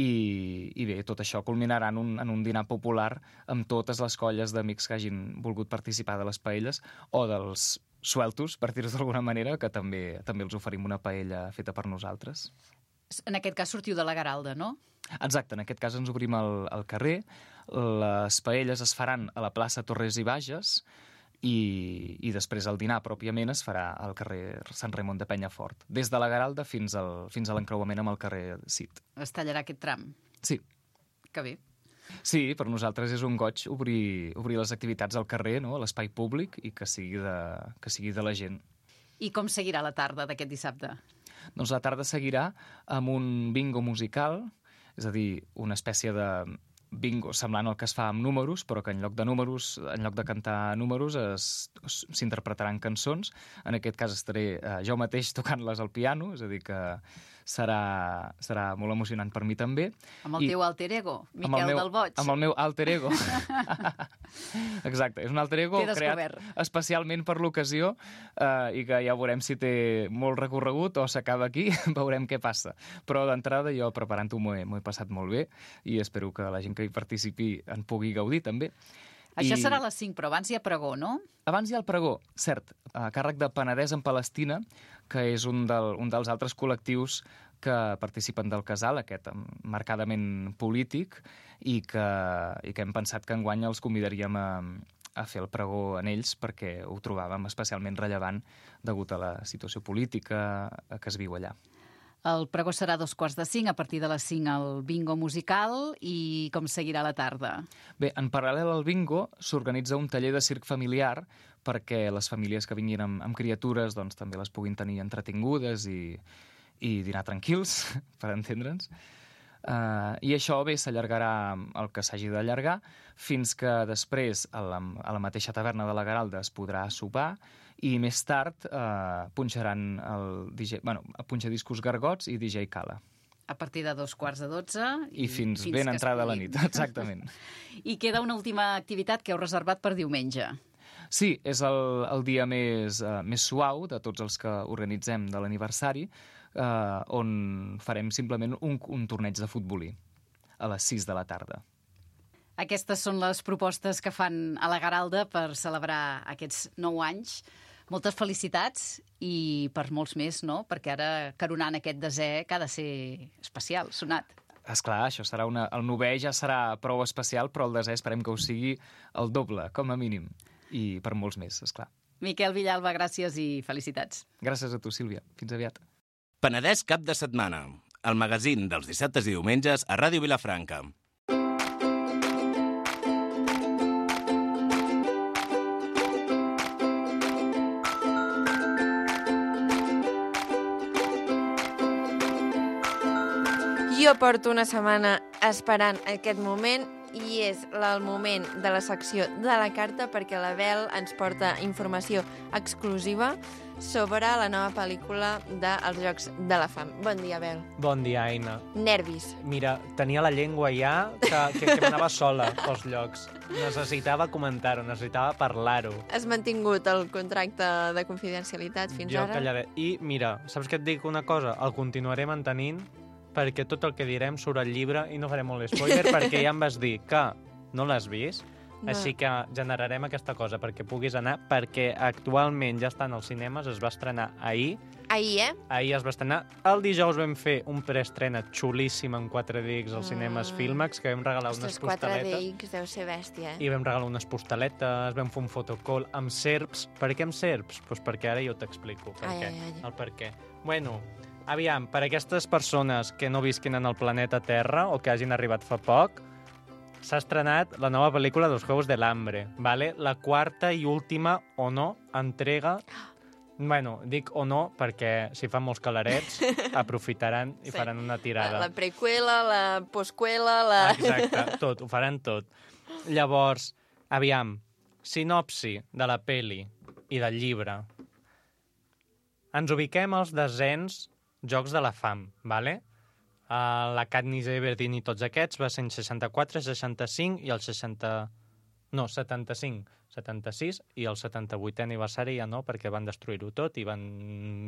I bé, tot això culminarà en un dinar popular amb totes les colles d'amics que hagin volgut participar de les paelles o dels sueltos, per dir-ho d'alguna manera, que també els oferim una paella feta per nosaltres. En aquest cas sortiu de la Garalda, no? Exacte, en aquest cas ens obrim al carrer. Les paelles es faran a la plaça Torres i Bages i després el dinar pròpiament es farà al carrer Sant Raimon de Penyafort, des de la Garalda fins a l'encreuament amb el carrer Cid. Es tallarà aquest tram? Sí. Que bé. Sí, per nosaltres és un goig obrir les activitats al carrer, no? A l'espai públic, i que sigui de la gent. I com seguirà la tarda d'aquest dissabte? Doncs la tarda seguirà amb un bingo musical, és a dir, una espècie de bingo semblant al que es fa amb números, però que en lloc de cantar números s'interpretaran cançons. En aquest cas estaré jo mateix tocant-les al piano, és a dir que serà molt emocionant per mi també. Amb el teu alter ego, Miquel del Boig. Amb el meu alter ego. Exacte, és un alter ego creat especialment per l'ocasió i que ja veurem si té molt recorregut o s'acaba aquí, veurem què passa. Però d'entrada jo preparant-ho m'ho he passat molt bé i espero que la gent que hi participi en pugui gaudir també. Això serà a les 5, però abans hi ha pregó, no? Abans hi ha el pregó, cert, a càrrec de Penedès en Palestina, que és un dels altres col·lectius que participen del casal, aquest marcadament polític, i que hem pensat que enguany els convidaríem a fer el pregó en ells perquè ho trobàvem especialment rellevant degut a la situació política que es viu allà. El pregó serà a 4:45, a partir de les 5 el bingo musical, i com seguirà la tarda? Bé, en paral·lel al bingo s'organitza un taller de circ familiar perquè les famílies que vinguin amb criatures doncs, també les puguin tenir entretingudes i dinar tranquils, per entendre'ns. I això bé s'allargarà el que s'hagi d'allargar fins que després a la mateixa taverna de la Garalda es podrà sopar i més tard punxaran el DJ, punxadiscos Gargots i DJ Cala. A partir de 2:45 I fins ben entrada la nit, exactament. I queda una última activitat que heu reservat per diumenge. Sí, és el dia més suau de tots els que organitzem de l'aniversari, on farem simplement un torneig de futbolí a les 6 de la tarda. Aquestes són les propostes que fan a la Garalda per celebrar aquests 9 anys. Moltes felicitats i per molts més, no? Perquè ara, coronant aquest desè, que ha de ser especial, sonat. Esclar, això serà el 9è ja serà prou especial, però el desè esperem que ho sigui el doble, com a mínim. I per molts més, esclar. Miquel Villalba, gràcies i felicitats. Gràcies a tu, Sílvia. Fins aviat. Penedès cap de setmana. El magazín dels dissabtes i diumenges a Ràdio Vilafranca. Jo porto una setmana esperant aquest moment i és el moment de la secció de la carta perquè la Bel ens porta informació exclusiva sobre la nova pel·lícula dels Jocs de la Fam. Bon dia, Bel. Bon dia, Aina. Nervis. Mira, tenia la llengua ja que m'anava sola pels llocs. Necessitava comentar-ho, necessitava parlar-ho. Has mantingut el contracte de confidencialitat fins Jo ara? callaré. I mira, saps què et dic una cosa? El continuaré mantenint perquè tot el que direm surt al llibre i no faré molt spoiler perquè ja em vas dir que no l'has vist, No. així que generarem aquesta cosa perquè puguis anar, perquè actualment ja estan als cinemes, es va estrenar ahir. Ahir, Ahir es va estrenar. El dijous vam fer un preestrena xulíssim en 4DX als cinemes Filmax, que vam regalar unes Ostres, 4 postaletes. DX deu ser bèstia, I vam regalar unes postaletes, vam fer un fotocall amb serps. Per què amb serps? Doncs perquè ara jo t'explico per Ai, què. ai, ai. El per què. Bueno, aviam, per aquestes persones que no visquin en el planeta Terra o que hagin arribat fa poc, s'ha estrenat la nova pel·lícula dels Juegos del Hambre, ¿vale? La quarta i última, o no, entrega. Bueno, dic o no perquè si fan molts calarets aprofitaran i faran una tirada. La prequela, la postquela, la... Exacte, tot, ho faran tot. Llavors, aviam, sinopsi de la peli i del llibre. Ens ubiquem als desens Jocs de la Fam, ¿vale? La Katniss Everdeen i tots aquests va ser en 64, 65 i el 76 i el 78è aniversari ja no, perquè van destruir-ho tot i van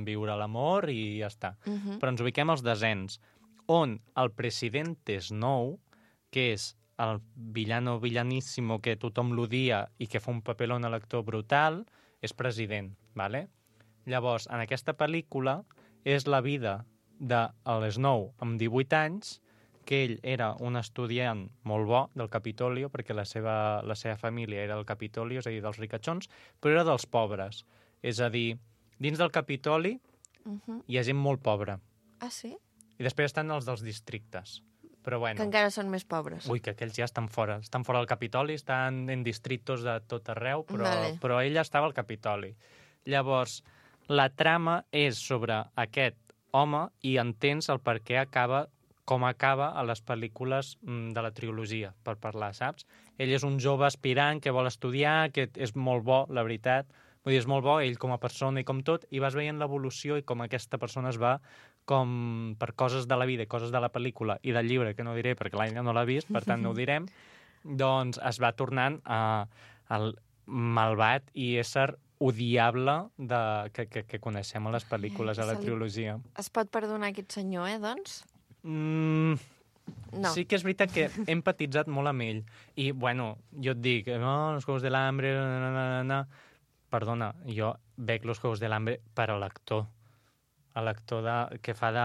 viure l'amor i ja està. Però ens ubiquem als desens, on el Presidente Snow, que és el villaníssimo que tothom l'odia i que fa un papelón a l'actor brutal, és president, ¿vale? Llavors, en aquesta pel·lícula és la vida del Snow amb 18 anys, que ell era un estudiant molt bo del Capitolio, perquè la seva família era del Capitolio, és a dir, dels ricachons, però era dels pobres. És a dir, dins del Capitoli hi ha gent molt pobra. Ah, sí? I després estan els dels districtes. Però bueno... Que encara són més pobres. Ui, que aquells ja estan fora. Estan fora del Capitoli, estan en distritos de tot arreu, però ell estava al Capitoli. Llavors, la trama és sobre aquest home i entens el per què acaba com acaba a les pel·lícules de la trilogia, per parlar, saps? Ell és un jove aspirant que vol estudiar, que és molt bo, la veritat. Vull dir, és molt bo, ell com a persona i com tot, i vas veient l'evolució i com aquesta persona es va, com per coses de la vida i coses de la pel·lícula i del llibre, que no diré perquè l'Aina no l'ha vist, per tant no ho direm, doncs es va tornant el malvat i ésser odiable que coneixem a les pel·lícules, a la trilogia. Es pot perdonar aquest senyor, doncs? No. Sí que és veritat que he empatitzat molt amb ell. I, bueno, jo et dic, no, los Juegos del Hambre... Perdona, jo veig los Juegos del Hambre per a l'actor. A l'actor que fa de...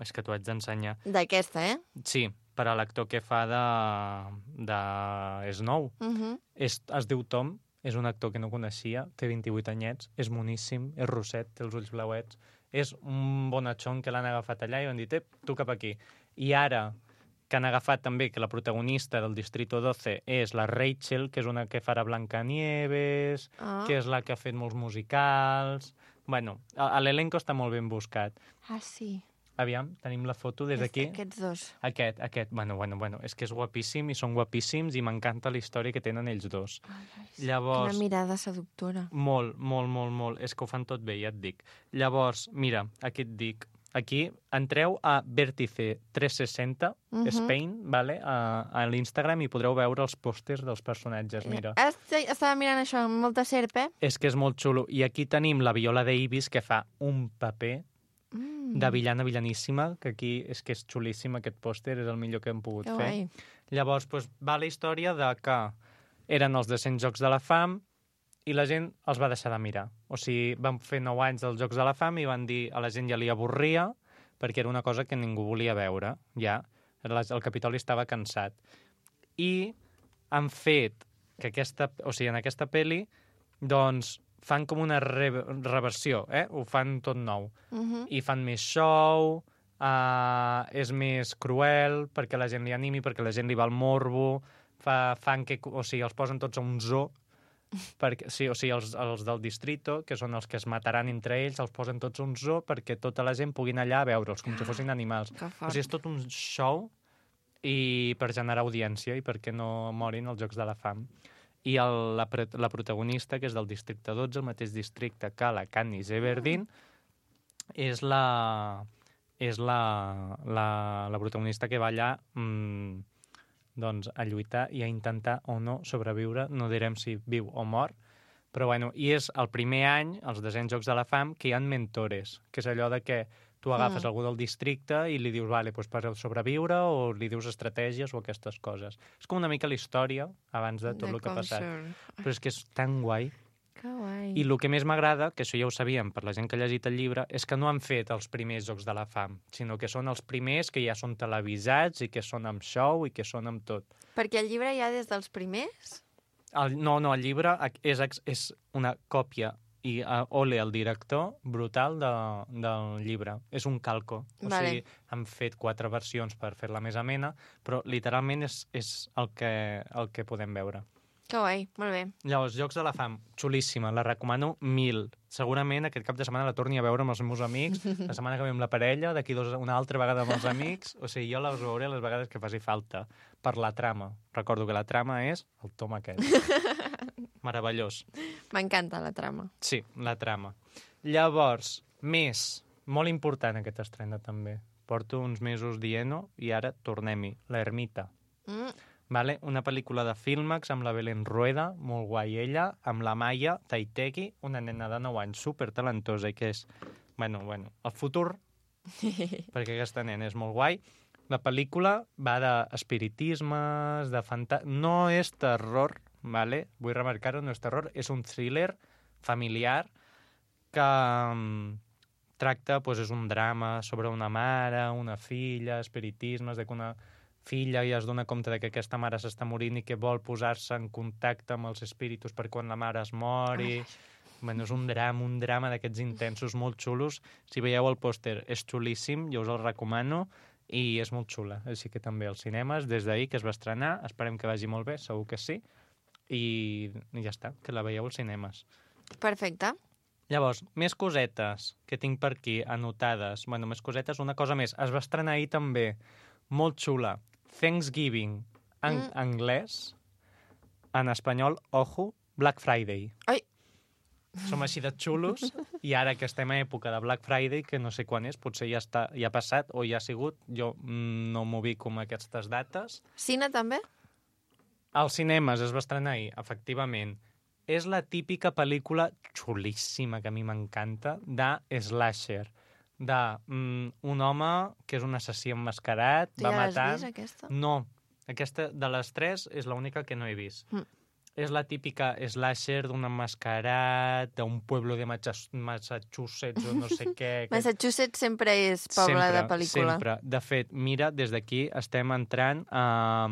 És que t'ho haig d'ensenyar. D'aquesta, Sí, per a l'actor que fa de Snow. Es diu Tom, és un actor que no coneixia, té 28 anyets, és moníssim, és rosset, té els ulls blauets, és un bonachón que l'han agafat allà i han dit, tu cap aquí. I ara, que han agafat també que la protagonista del Distrito 12 és la Rachel, que és una que farà Blancanieves, que és la que ha fet molts musicals... Bueno, l'elenco està molt ben buscat. Ah, sí. Aviam, tenim la foto des d'aquí. Aquests dos. Aquest. Bueno, és que és guapíssim i són guapíssims i m'encanta la història que tenen ells dos. Llavors... Quina mirada seductora. Molt. És que ho fan tot bé, ja et dic. Llavors, mira, aquí et dic, aquí entreu a Vértice 360 Spain, vale? A l'Instagram i podreu veure els pòsters dels personatges, mira. Estava mirant això amb molta serp, És que és molt xulo. I aquí tenim la Viola Davis, que fa un paper de villaníssima, que aquí és que és xulíssim aquest pòster, és el millor que hem pogut fer. Llavors, va la història de que eren els 200 Jocs de la Fam i la gent els va deixar de mirar. O sigui, van fer 9 anys dels Jocs de la Fam i van dir a la gent ja li avorria perquè era una cosa que ningú volia veure, ja. El Capitoli estava cansat. I han fet que en aquesta pel·li, doncs, fan com una reversió, ho fan tot nou. I fan més show, és més cruel, perquè la gent li animi, perquè la gent li va al morbo, els posen tots a un zoo, els del distrito, que són els que es mataran entre ells, els posen tots a un zoo perquè tota la gent pugui anar allà a veure'ls, com si fossin animals. O sigui, és tot un show i per generar audiència i perquè no morin els Jocs de la Fam. I la protagonista, que és del districte 12, el mateix districte que la Katniss Everdeen, és la protagonista que va allà doncs, a lluitar i a intentar o no sobreviure, no direm si viu o mor, però bueno, i és el primer any, els 200 Jocs de la Fam, que hi ha mentores, que és allò de que tu agafes algú del districte i li dius, vale, doncs per sobreviure, o li dius estratègies o aquestes coses. És com una mica la història abans de tot el que ha passat. Però és que és tan guai. Que guai. I el que més m'agrada, que això ja ho sabíem per la gent que ha llegit el llibre, és que no han fet els primers Jocs de la Fam, sinó que són els primers que ja són televisats i que són amb show i que són amb tot. Perquè el llibre ja des dels primers? No, el llibre és una còpia i ole el director brutal del llibre. És un calco. O sigui, han fet 4 versions per fer-la més amena, però literalment és el que podem veure. Que guai, molt bé. Llavors, Jocs de la Fam, xulíssima, la recomano 1000. Segurament aquest cap de setmana la torni a veure amb els meus amics, la setmana que ve amb la parella, d'aquí una altra vegada amb els amics, o sigui, jo les veuré les vegades que faci falta, per la trama. Recordo que la trama és el tom aquest. Meravellós. M'encanta la trama. Sí, la trama. Llavors, molt important aquest estrena també. Porto uns mesos dient-ho i ara tornem-hi. La Ermita. Vale? Una pel·lícula de Filmax amb la Belén Rueda, molt guai ella, amb la Maya Taitegi, una nena de 9 anys supertalentosa i que és, bueno, el futur, perquè aquesta nena és molt guai. La pel·lícula va d'espiritismes, de no és terror, vale? Vull remarcar-ho, no és terror, és un thriller familiar que tracta, és un drama sobre una mare, una filla, espiritismes, de que una filla i es dona compte de que aquesta mare s'està morint i que vol posar-se en contacte amb els espíritus per quan la mare es mori. Bueno, és un drama d'aquests intensos molt xulos. Si veieu el pòster, és xulíssim, jo us el recomano, i és molt xula. Així que també als cinemes, des d'ahir que es va estrenar, esperem que vagi molt bé, segur que sí, i ja està, que la veieu als cinemes. Perfecte. Llavors, més cosetes que tinc per aquí anotades. Bueno, més cosetes, una cosa més. Es va estrenar ahir també, molt xula, Thanksgiving en anglès, en espanyol, ojo, Black Friday. Ai! Som així de xulos i ara que estem a època de Black Friday, que no sé quan és, potser ja ha passat o ja ha sigut, jo no m'ho ubico amb aquestes dates. Cine també? Als cinemes es va estrenar ahir, efectivament. És la típica pel·lícula xulíssima, que a mi m'encanta, de slasher, d'un home que és un assassí emmascarat, va matant... Tu ja l'has vist, aquesta? No, aquesta de les 3 és l'única que no he vist. És la típica slasher d'un emmascarat, d'un pueblo de Massachusetts o no sé què. Massachusetts sempre és poble de pel·lícula. Sempre. De fet, mira, des d'aquí estem entrant a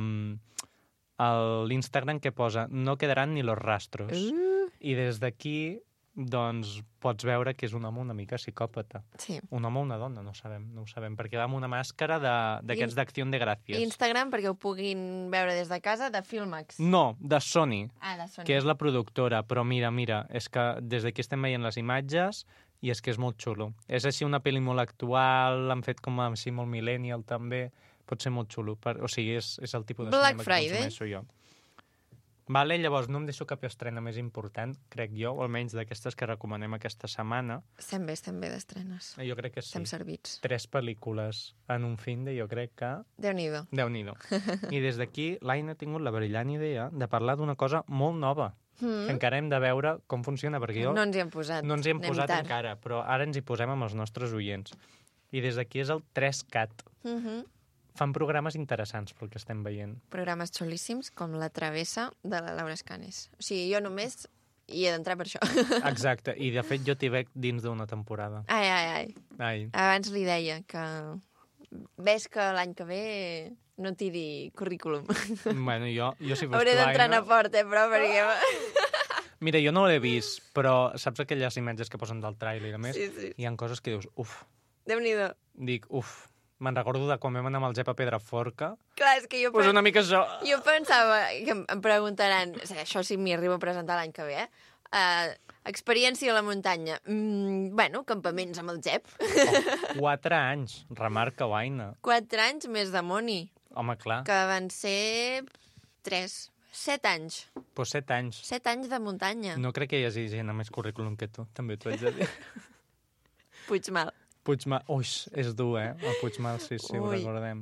l'Instagram que posa no quedaran ni los rastros. I des d'aquí doncs pots veure que és un home una mica psicòpata. Sí. Un home o una dona, no ho sabem, perquè va amb una màscara d'aquests d'Acció de Gràcies. Instagram, perquè ho puguin veure des de casa, de Filmax. No, de Sony, de Sony, que és la productora, però mira, és que des d'aquí estem veient les imatges i és que és molt xulo. És així una pel·li molt actual, l'han fet com així molt millennial també, pot ser molt xulo. O sigui, és el tipus de Black cinema Friday. que consumeixo jo. Vale, llavors no em deixo cap estrena més important, crec jo, o almenys d'aquestes que recomanem aquesta setmana. Estem bé d'estrenes. Jo crec que sí. Estem servits. 3 pel·lícules en un fin de, jo crec que... Déu-n'hi-do. Déu-n'hi-do. I des d'aquí l'Aina ha tingut la brillant idea de parlar d'una cosa molt nova, que encara hem de veure com funciona, perquè jo... No ens hi hem posat. No ens hi hem posat encara, però ara ens hi posem amb els nostres oients. I des d'aquí és el 3CAT. Fan programes interessants pel que estem veient. Programes xulíssims, com La Travessa de la Laura Escanes. O sigui, jo només hi he d'entrar per això. Exacte, i de fet jo t'hi veig dins d'una temporada. Ai. Abans li deia que ves que l'any que ve no tiri currículum. Bueno, jo si fos hauré d'entrar a Port, però perquè... Mira, jo no l'he vist, però saps aquelles imatges que posen del tràiler i a més? Sí. Hi ha coses que dius, uf. Déu-n'hi-do. Dic, uf. Me'n recordo de quan vam anar amb el Jep a Pedraforca. Clar, és que jo... Pues una mica això. Jo pensava que em preguntaran, això sí m'hi arribo a presentar l'any que ve, experiència a la muntanya. Bueno, campaments amb el Jep. 4 anys, remarca Aina. 4 anys més de Moni. Home, clar. Que van ser 7 anys. Pues 7 anys. 7 anys de muntanya. No crec que hi hagi gent amb més currículum que tu, també t'ho haig de dir. Puigmal. Ui, és dur, El Puigmal, sí, ho recordem.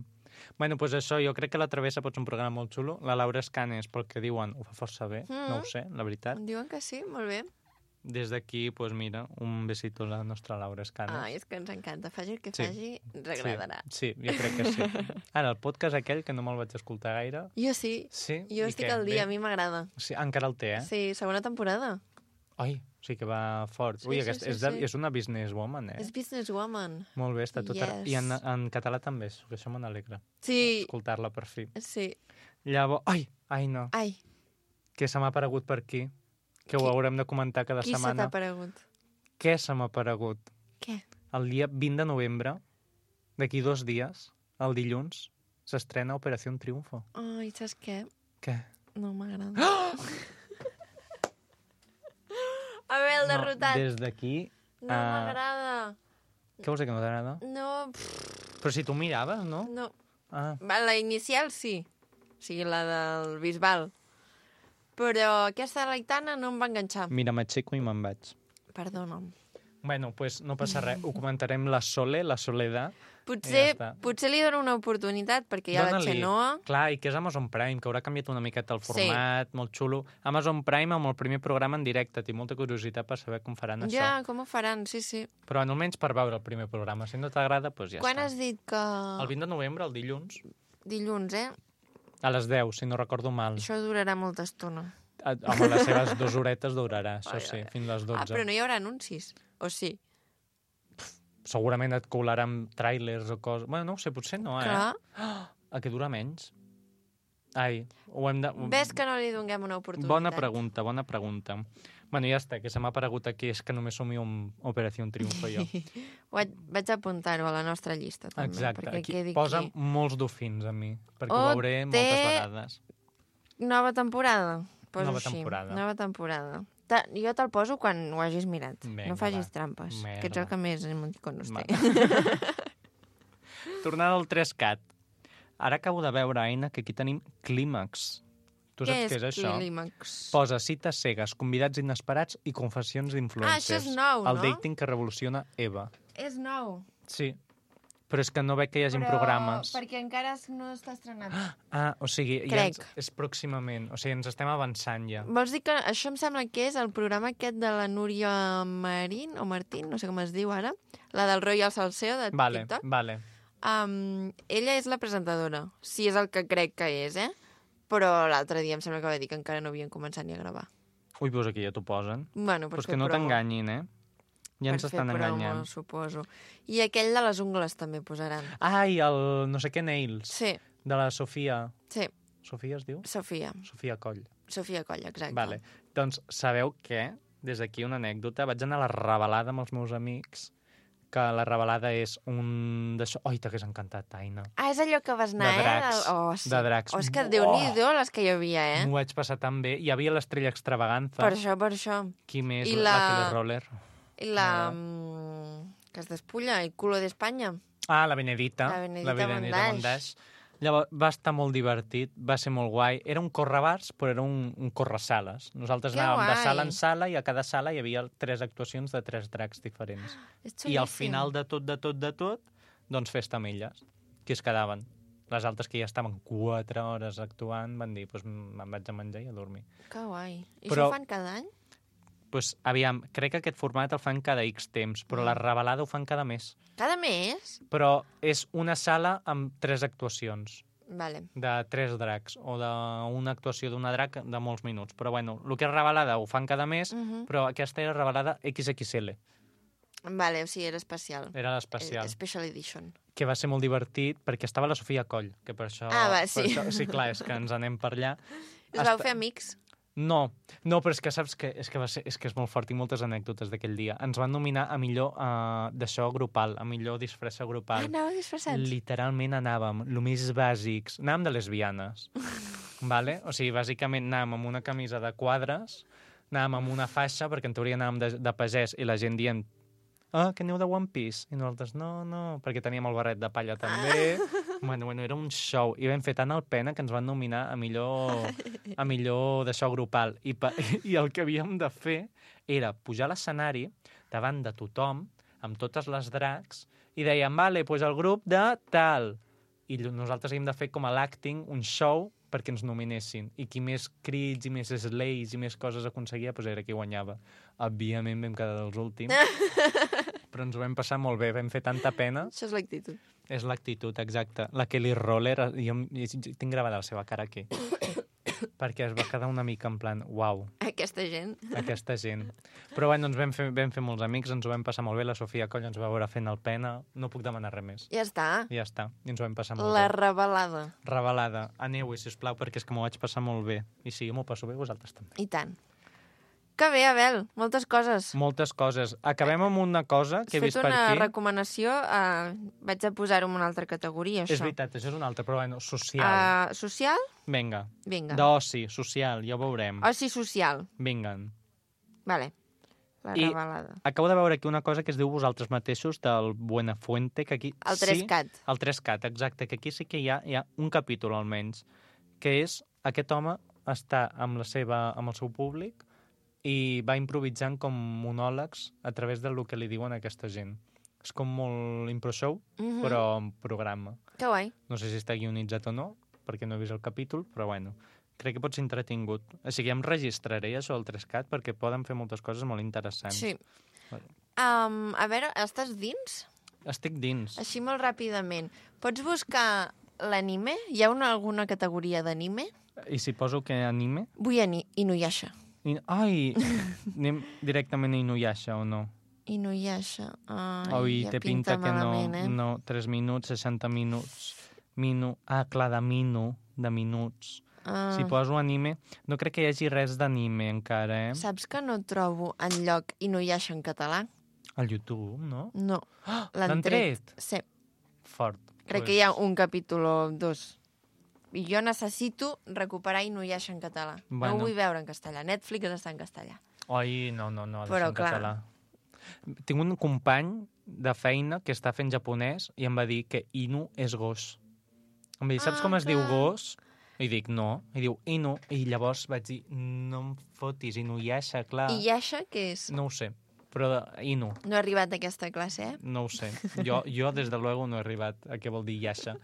Bueno, doncs això, jo crec que La Travessa pot ser un programa molt xulo. La Laura Escanes, pel que diuen, ho fa força bé. No ho sé, la veritat. Diuen que sí, molt bé. Des d'aquí, doncs mira, un besito a la nostra Laura Escanes. Ai, és que ens encanta. Faci el que faci, ens agradarà. Sí, jo crec que sí. Ara, el podcast aquell, que no me'l vaig escoltar gaire... Jo sí. Sí? Jo estic al dia, a mi m'agrada. Sí, encara el té, Sí, segona temporada. Ai, sí que va fort. Ui, és una businesswoman, És businesswoman. Molt bé, està tot... I en català també, que això me n'alegra. Sí. Escoltar-la per fi. Sí. Llavors... Ai, no. Ai. Què se m'ha aparegut per aquí? Que ho haurem de comentar cada setmana. Qui se t'ha aparegut? Què se m'ha aparegut? Què? El dia 20 de novembre, d'aquí 2 dies, el dilluns, s'estrena Operació Triunfo. Ai, saps què? Què? No m'agrada. A veure, el derrotat. Des d'aquí... No m'agrada. Què vols dir que no t'agrada? No. Però si tu miraves, no? No. Ah. La inicial sí. O sigui, la del Bisbal. Però aquesta de l'Aitana no em va enganxar. Mira, m'aixeco i me'n vaig. Perdona'm. Bueno, pues no passa res. Ho comentarem la Soledad. Potser li dono una oportunitat, perquè ja la Xenoa... Clar, i que és Amazon Prime, que haurà canviat una miqueta el format, molt xulo. Amazon Prime amb el primer programa en directe. Tinc molta curiositat per saber com faran això. Ja, com ho faran, sí. Però almenys per veure el primer programa. Si no t'agrada, doncs ja està. Quan has dit que... El 20 de novembre, el dilluns. Dilluns, A les 10, si no recordo mal. Això durarà molta estona. Home, les seves 2 horetes durarà, això sí, fins les 12. Però no hi haurà anuncis, o sí? Segurament et colaran tràilers o coses... Bueno, no ho sé, potser no, Clar. A que dura menys? Ai, ho hem de... Ves que no li donem una oportunitat. Bona pregunta. Bueno, ja està, que se m'ha aparegut aquí, és que només somio amb Operació Triunfo jo. Vaig apuntar-ho a la nostra llista, també. Exacte, aquí posa molts dofins a mi, perquè ho veuré moltes vegades. Nova temporada. Nova temporada. Nova temporada. Jo te'l poso quan ho hagis mirat. Vinga, no facis trampes, que ets el que més emoticonos té. Tornant al 3CAT. Ara acabo de veure, Aina, que aquí tenim Clímax. Tu saps què és això? Clímax? Posa cites cegues, convidats inesperats i confessions d'influencers. Això és nou, no? El dating que revoluciona Eva. És nou. Sí, però és que no veig que hi hagi programes. Perquè encara no està estrenat. O sigui, Crec. Ja és pròximament. O sigui, ens estem avançant ja. Vols dir que això em sembla que és el programa aquest de la Núria Marín, o Martín, no sé com es diu ara, la del Royal Salseo de TikTok. Vale. Ella és la presentadora, si és el que crec que és, Però l'altre dia em sembla que va dir que encara no havien començat ni a gravar. Ui, doncs aquí ja t'ho posen. Bueno, pues que no t'enganyin, Ja ens estan enganyant. Per fer promo, suposo. I aquell de les ungles també posaran. Ai, el no sé què Nails. Sí. De la Sofia. Sí. Sofia es diu? Sofia. Sofia Coll. Sofia Coll, exacte. Vale. Doncs sabeu què? Des d'aquí una anècdota. Vaig anar a la revelada amb els meus amics, que la revelada és un d'això... Oi, t'hagués encantat, Aina. És allò que vas anar, de dracs. Sí. De dracs. És que Déu-n'hi-do les que hi havia, M'ho vaig passar tan bé. Hi havia l'Estrella Extravaganza. Per això. Qui més? La Kelly Roller. I la... Que es despulla, el culo d'Espanya. Ah, la Benedita. La Benedita Mondaix. Llavors, va estar molt divertit, va ser molt guai. Era un correbars, però era un corresales. Nosaltres anàvem de sala en sala i a cada sala hi havia 3 actuacions de 3 dracs diferents. I al final de tot, doncs festa amb elles, que es quedaven. Les altres que ja estaven 4 hores actuant van dir, doncs me'n vaig a menjar i a dormir. Que guai. I això ho fan cada any? Doncs, aviam, crec que aquest format el fan cada X temps, però la revelada ho fan cada mes. Cada mes? Però és una sala amb 3 actuacions. Vale. De 3 dracs, o d'una actuació d'una drac de molts minuts. Però bueno, el que és revelada ho fan cada mes, però aquesta era revelada XXL. Vale, o sigui, era especial. Era l'especial. Special edition. Que va ser molt divertit perquè estava la Sofia Coll, que per això... sí. Per això, sí, clar, és que ens anem per allà. Us vau fer amics? No, però és que saps que és molt fort i moltes anècdotes d'aquell dia. Ens van nominar a millor d'això grupal, a millor disfressa grupal. Anàveu disfressats? Literalment anàvem, el més bàsics, anàvem de lesbianes, vale? O sigui, bàsicament anàvem amb una camisa de quadres, anàvem amb una faixa, perquè en teoria anàvem de pagès, i la gent dient que aneu de One Piece. I nosaltres, no, perquè teníem el barret de palla també. Bueno, era un show. I vam fer tant el pena que ens van nominar a millor d'això grupal. I el que havíem de fer era pujar a l'escenari davant de tothom, amb totes les dracs, i dèiem, vale, doncs el grup de tal. I nosaltres havíem de fer com a l'acting, un show, perquè ens nominessin. I qui més crits i més slays i més coses aconseguia, doncs era qui guanyava. Òbviament vam quedar dels últims, però ens ho vam passar molt bé, vam fer tanta pena. Això és l'actitud. És l'actitud, exacte. La Kelly Roller, jo tinc gravada la seva cara aquí, perquè es va quedar una mica en plan, uau. Aquesta gent. Però bueno, ens vam fer molts amics, ens ho vam passar molt bé, la Sofia Coll ens va veure fent el pena, no puc demanar res més. Ja està. I ens ho vam passar molt bé. La revelada. Revelada. Aneu-hi, sisplau, perquè és que m'ho vaig passar molt bé. I si jo m'ho passo bé, vosaltres també. I tant. Que bé, Abel, moltes coses. Moltes coses. Acabem amb una cosa que he vist per aquí. Has fet una recomanació, vaig a posar-ho en una altra categoria, això. És veritat, això és una altra, però bueno, social. Social? Vinga. D'oci, social, ja ho veurem. Oci social. Vinga. Vale, la revelada. Acabo de veure aquí una cosa que es diu vosaltres mateixos, del Buenafuente, que aquí... El 3CAT. El 3CAT, exacte, que aquí sí que hi ha un capítol almenys, que és aquest home està amb el seu públic i va improvisant com monòlegs a través del que li diuen a aquesta gent. És com molt impro show, però en programa. Que guai. No sé si està guionitzat o no, perquè no he vist el capítol, però bueno, crec que pot ser entretingut. O sigui, em registraré això del 3CAT perquè poden fer moltes coses molt interessants. Sí. A veure, estàs dins? Estic dins. Així molt ràpidament. Pots buscar l'anime? Hi ha alguna categoria d'anime? I si poso que anime? Vull Inuyasha. Ai, anem directament a Inuyasha o no? Inuyasha. Ai, ja té pinta que malament, no. 3 minuts, 60 minuts. Clar, de minuts. Si poso anime... No crec que hi hagi res d'anime encara, Saps que no trobo enlloc Inuyasha en català? Al YouTube, no? No. L'han tret? Sí. Fort. Crec que hi ha un capítol o 2. I jo necessito recuperar Inuyasha en català. No ho vull veure en castellà. Netflix està en castellà. Ai, no, ha de ser en català. Tinc un company de feina que està fent japonès i em va dir que Inu és gos. Em va dir, saps com es diu gos? I dic, no. I diu, Inu. I llavors vaig dir, no em fotis, Inuyasha, clar. I Yasha què és? No ho sé, però Inu. No he arribat a aquesta classe, No ho sé. Jo des de luego, no he arribat a què vol dir Yasha.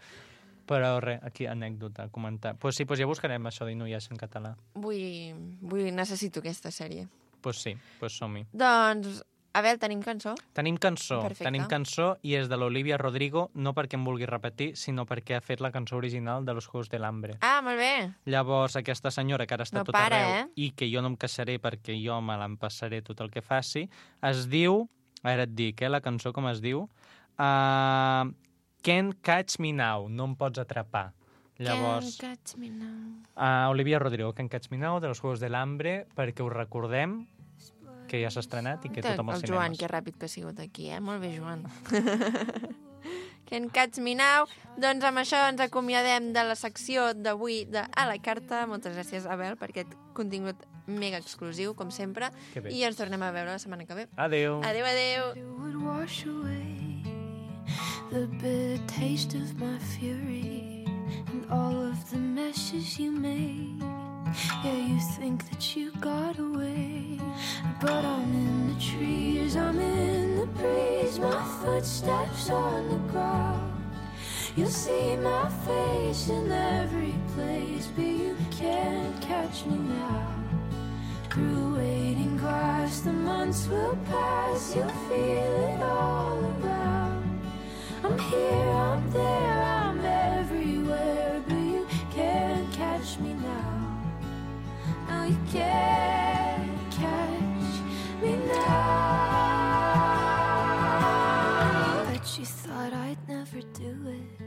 Però res, aquí anècdota, comentar. Pues sí, ja buscarem això d'Inuyasha en català. Necessito aquesta sèrie. Pues sí, som-hi. Doncs, Abel, tenim cançó? Tenim cançó. Perfecte. Tenim cançó i és de l'Olivia Rodrigo, no perquè em vulgui repetir, sinó perquè ha fet la cançó original de Los Juegos del Hambre. Ah, molt bé. Llavors, aquesta senyora, que ara està tot arreu, i que jo no em queixaré perquè jo me l'empassaré tot el que faci, es diu, ara et dic, la cançó com es diu, Can't Catch Me Now, no em pots atrapar. Llavors, Can't Catch Me Now. Olivia Rodrigo, Can't Catch Me Now, de Los Juegos del Hambre, perquè us recordem que ja s'ha estrenat i que tothom als cinemes. El Joan, que ràpid que ha sigut aquí, Molt bé, Joan. Can't Catch Me Now. Doncs amb això ens acomiadem de la secció d'avui de A la Carta. Moltes gràcies, Abel, per aquest contingut mega exclusiu, com sempre. I ens tornem a veure la setmana que ve. Adéu. Adéu, adéu. The bitter taste of my fury and all of the messes you made. Yeah, you think that you got away, but I'm in the trees, I'm in the breeze, my footsteps on the ground. You'll see my face in every place, but you can't catch me now. Through waiting grass, the months will pass, you'll feel it all around. I'm here, I'm there, I'm everywhere, but you can't catch me now. No, you can't catch me now. Bet you thought I'd never do it.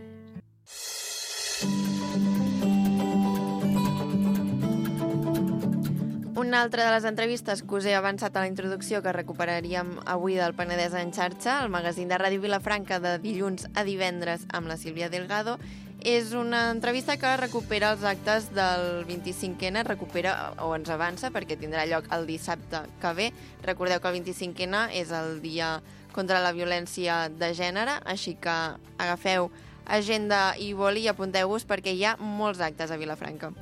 Una altra de les entrevistes que us he avançat a la introducció que recuperaríem avui del Penedès en xarxa, el magazín de Ràdio Vilafranca de dilluns a divendres amb la Sílvia Delgado, és una entrevista que recupera els actes del 25N, recupera o ens avança perquè tindrà lloc el dissabte que ve. Recordeu que el 25N és el dia contra la violència de gènere, així que agafeu agenda i boli i apunteu-vos perquè hi ha molts actes a Vilafranca.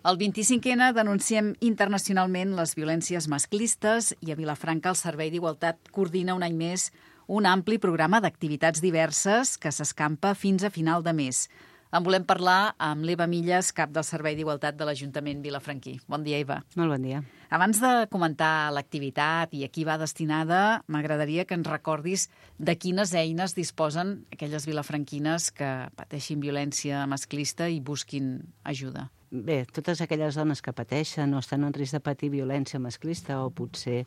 El 25N denunciem internacionalment les violències masclistes i a Vilafranca el Servei d'Igualtat coordina un any més un ampli programa d'activitats diverses que s'escampa fins a final de mes. En volem parlar amb l'Eva Milles, cap del Servei d'Igualtat de l'Ajuntament vilafranquí. Bon dia, Eva. Molt bon dia. Abans de comentar l'activitat i a qui va destinada, m'agradaria que ens recordis de quines eines disposen aquelles vilafranquines que pateixin violència masclista i busquin ajuda. Bé, totes aquelles dones que pateixen o estan en risc de patir violència masclista o potser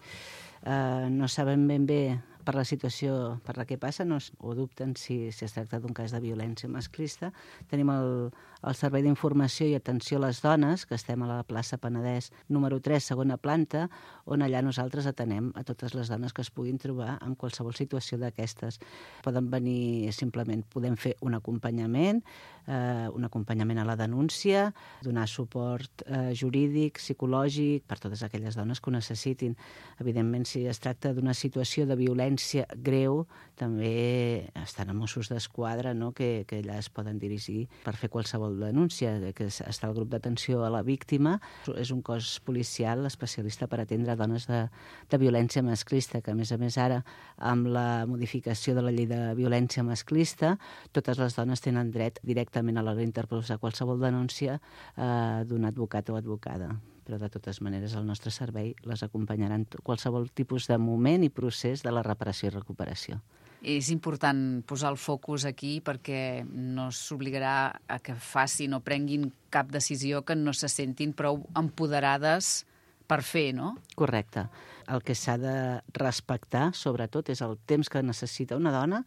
no saben ben bé per la situació per la que passen o dubten si es tracta d'un cas de violència masclista, tenim el Servei d'Informació i Atenció a les Dones, que estem a la plaça Penedès número 3, segona planta, on allà nosaltres atenem a totes les dones que es puguin trobar en qualsevol situació d'aquestes. Poden venir simplement, podem fer un acompanyament a la denúncia, donar suport jurídic, psicològic, per totes aquelles dones que ho necessitin. Evidentment, si es tracta d'una situació de violència greu, també estan a Mossos d'Esquadra, no?, que allà es poden dirigir per fer qualsevol denúncia, que està el grup d'atenció a la víctima. És un cos policial especialista per atendre dones de violència masclista, que a més ara, amb la modificació de la llei de violència masclista, totes les dones tenen dret directament a l'hora d'interposar qualsevol denúncia d'un advocat o advocada. Però de totes maneres el nostre servei les acompanyarà en qualsevol tipus de moment i procés de la reparació i recuperació. És important posar el focus aquí perquè no s'obligarà a que facin o prenguin cap decisió que no se sentin prou empoderades per fer, no? Correcte. El que s'ha de respectar, sobretot, és el temps que necessita una dona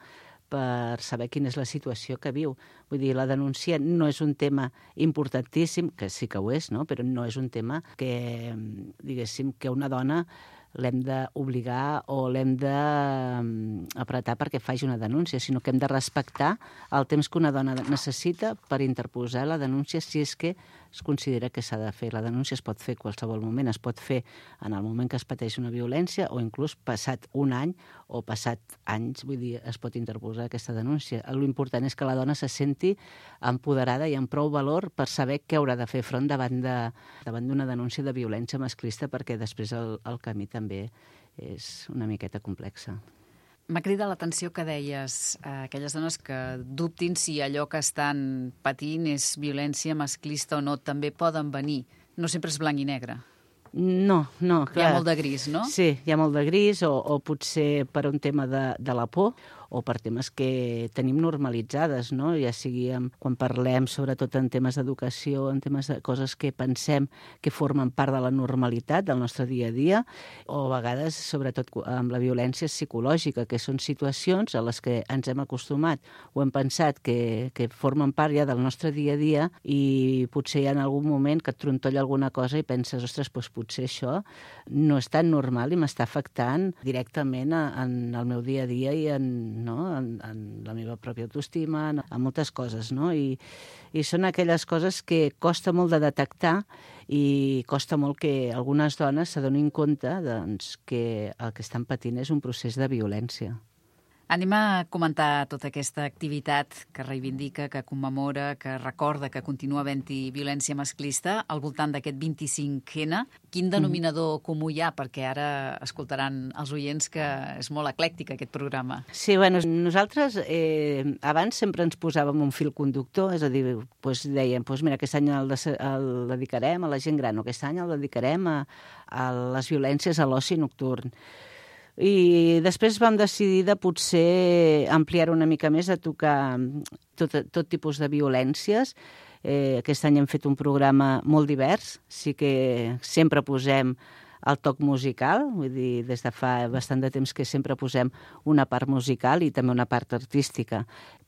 per saber quina és la situació que viu. Vull dir, la denúncia no és un tema importantíssim, que sí que ho és, no?, però no és un tema que, diguéssim, que una dona l'hem d'obligar o l'hem d'apretar perquè faci una denúncia, sinó que hem de respectar el temps que una dona necessita per interposar la denúncia si és que es considera que s'ha de fer. La denúncia es pot fer a qualsevol moment, es pot fer en el moment que es pateix una violència o inclús passat un any o passat anys, vull dir, es pot interposar aquesta denúncia. L'important és que la dona se senti empoderada i amb prou valor per saber què haurà de fer front davant d'una denúncia de violència masclista, perquè després el camí també és una miqueta complexa. M'ha cridat l'atenció que deies aquelles dones que dubtin si allò que estan patint és violència masclista o no, també poden venir. No sempre és blanc i negre. No, clar. Hi ha molt de gris, no? Sí, hi ha molt de gris, o potser per un tema de la por, o per temes que tenim normalitzades, no? Ja sigui quan parlem sobretot en temes d'educació, en temes de coses que pensem que formen part de la normalitat del nostre dia a dia, o a vegades sobretot amb la violència psicològica, que són situacions a les que ens hem acostumat o hem pensat que formen part ja del nostre dia a dia i potser hi ha en algun moment que et trontolla alguna cosa i penses, ostres, doncs potser això no és tan normal i m'està afectant directament en el meu dia a dia i en la meva pròpia autoestima, en moltes coses, no? I són aquelles coses que costa molt de detectar i costa molt que algunes dones s'adonin compte doncs, que el que estan patint és un procés de violència. Anem a comentar tota aquesta activitat que reivindica, que commemora, que recorda que continua havent-hi violència masclista al voltant d'aquest 25N. Quin denominador comú hi ha? Perquè ara escoltaran els oients que és molt eclèctic aquest programa. Sí, bueno, nosaltres abans sempre ens posàvem un fil conductor, és a dir, dèiem, mira, aquest any el dedicarem a la gent gran, o aquest any el dedicarem a les violències a l'oci nocturn. I després vam decidir de potser ampliar una mica més, a tocar tot tipus de violències. Aquest any hem fet un programa molt divers, sí que sempre posem el toc musical, vull dir, des de fa bastant de temps que sempre posem una part musical i també una part artística,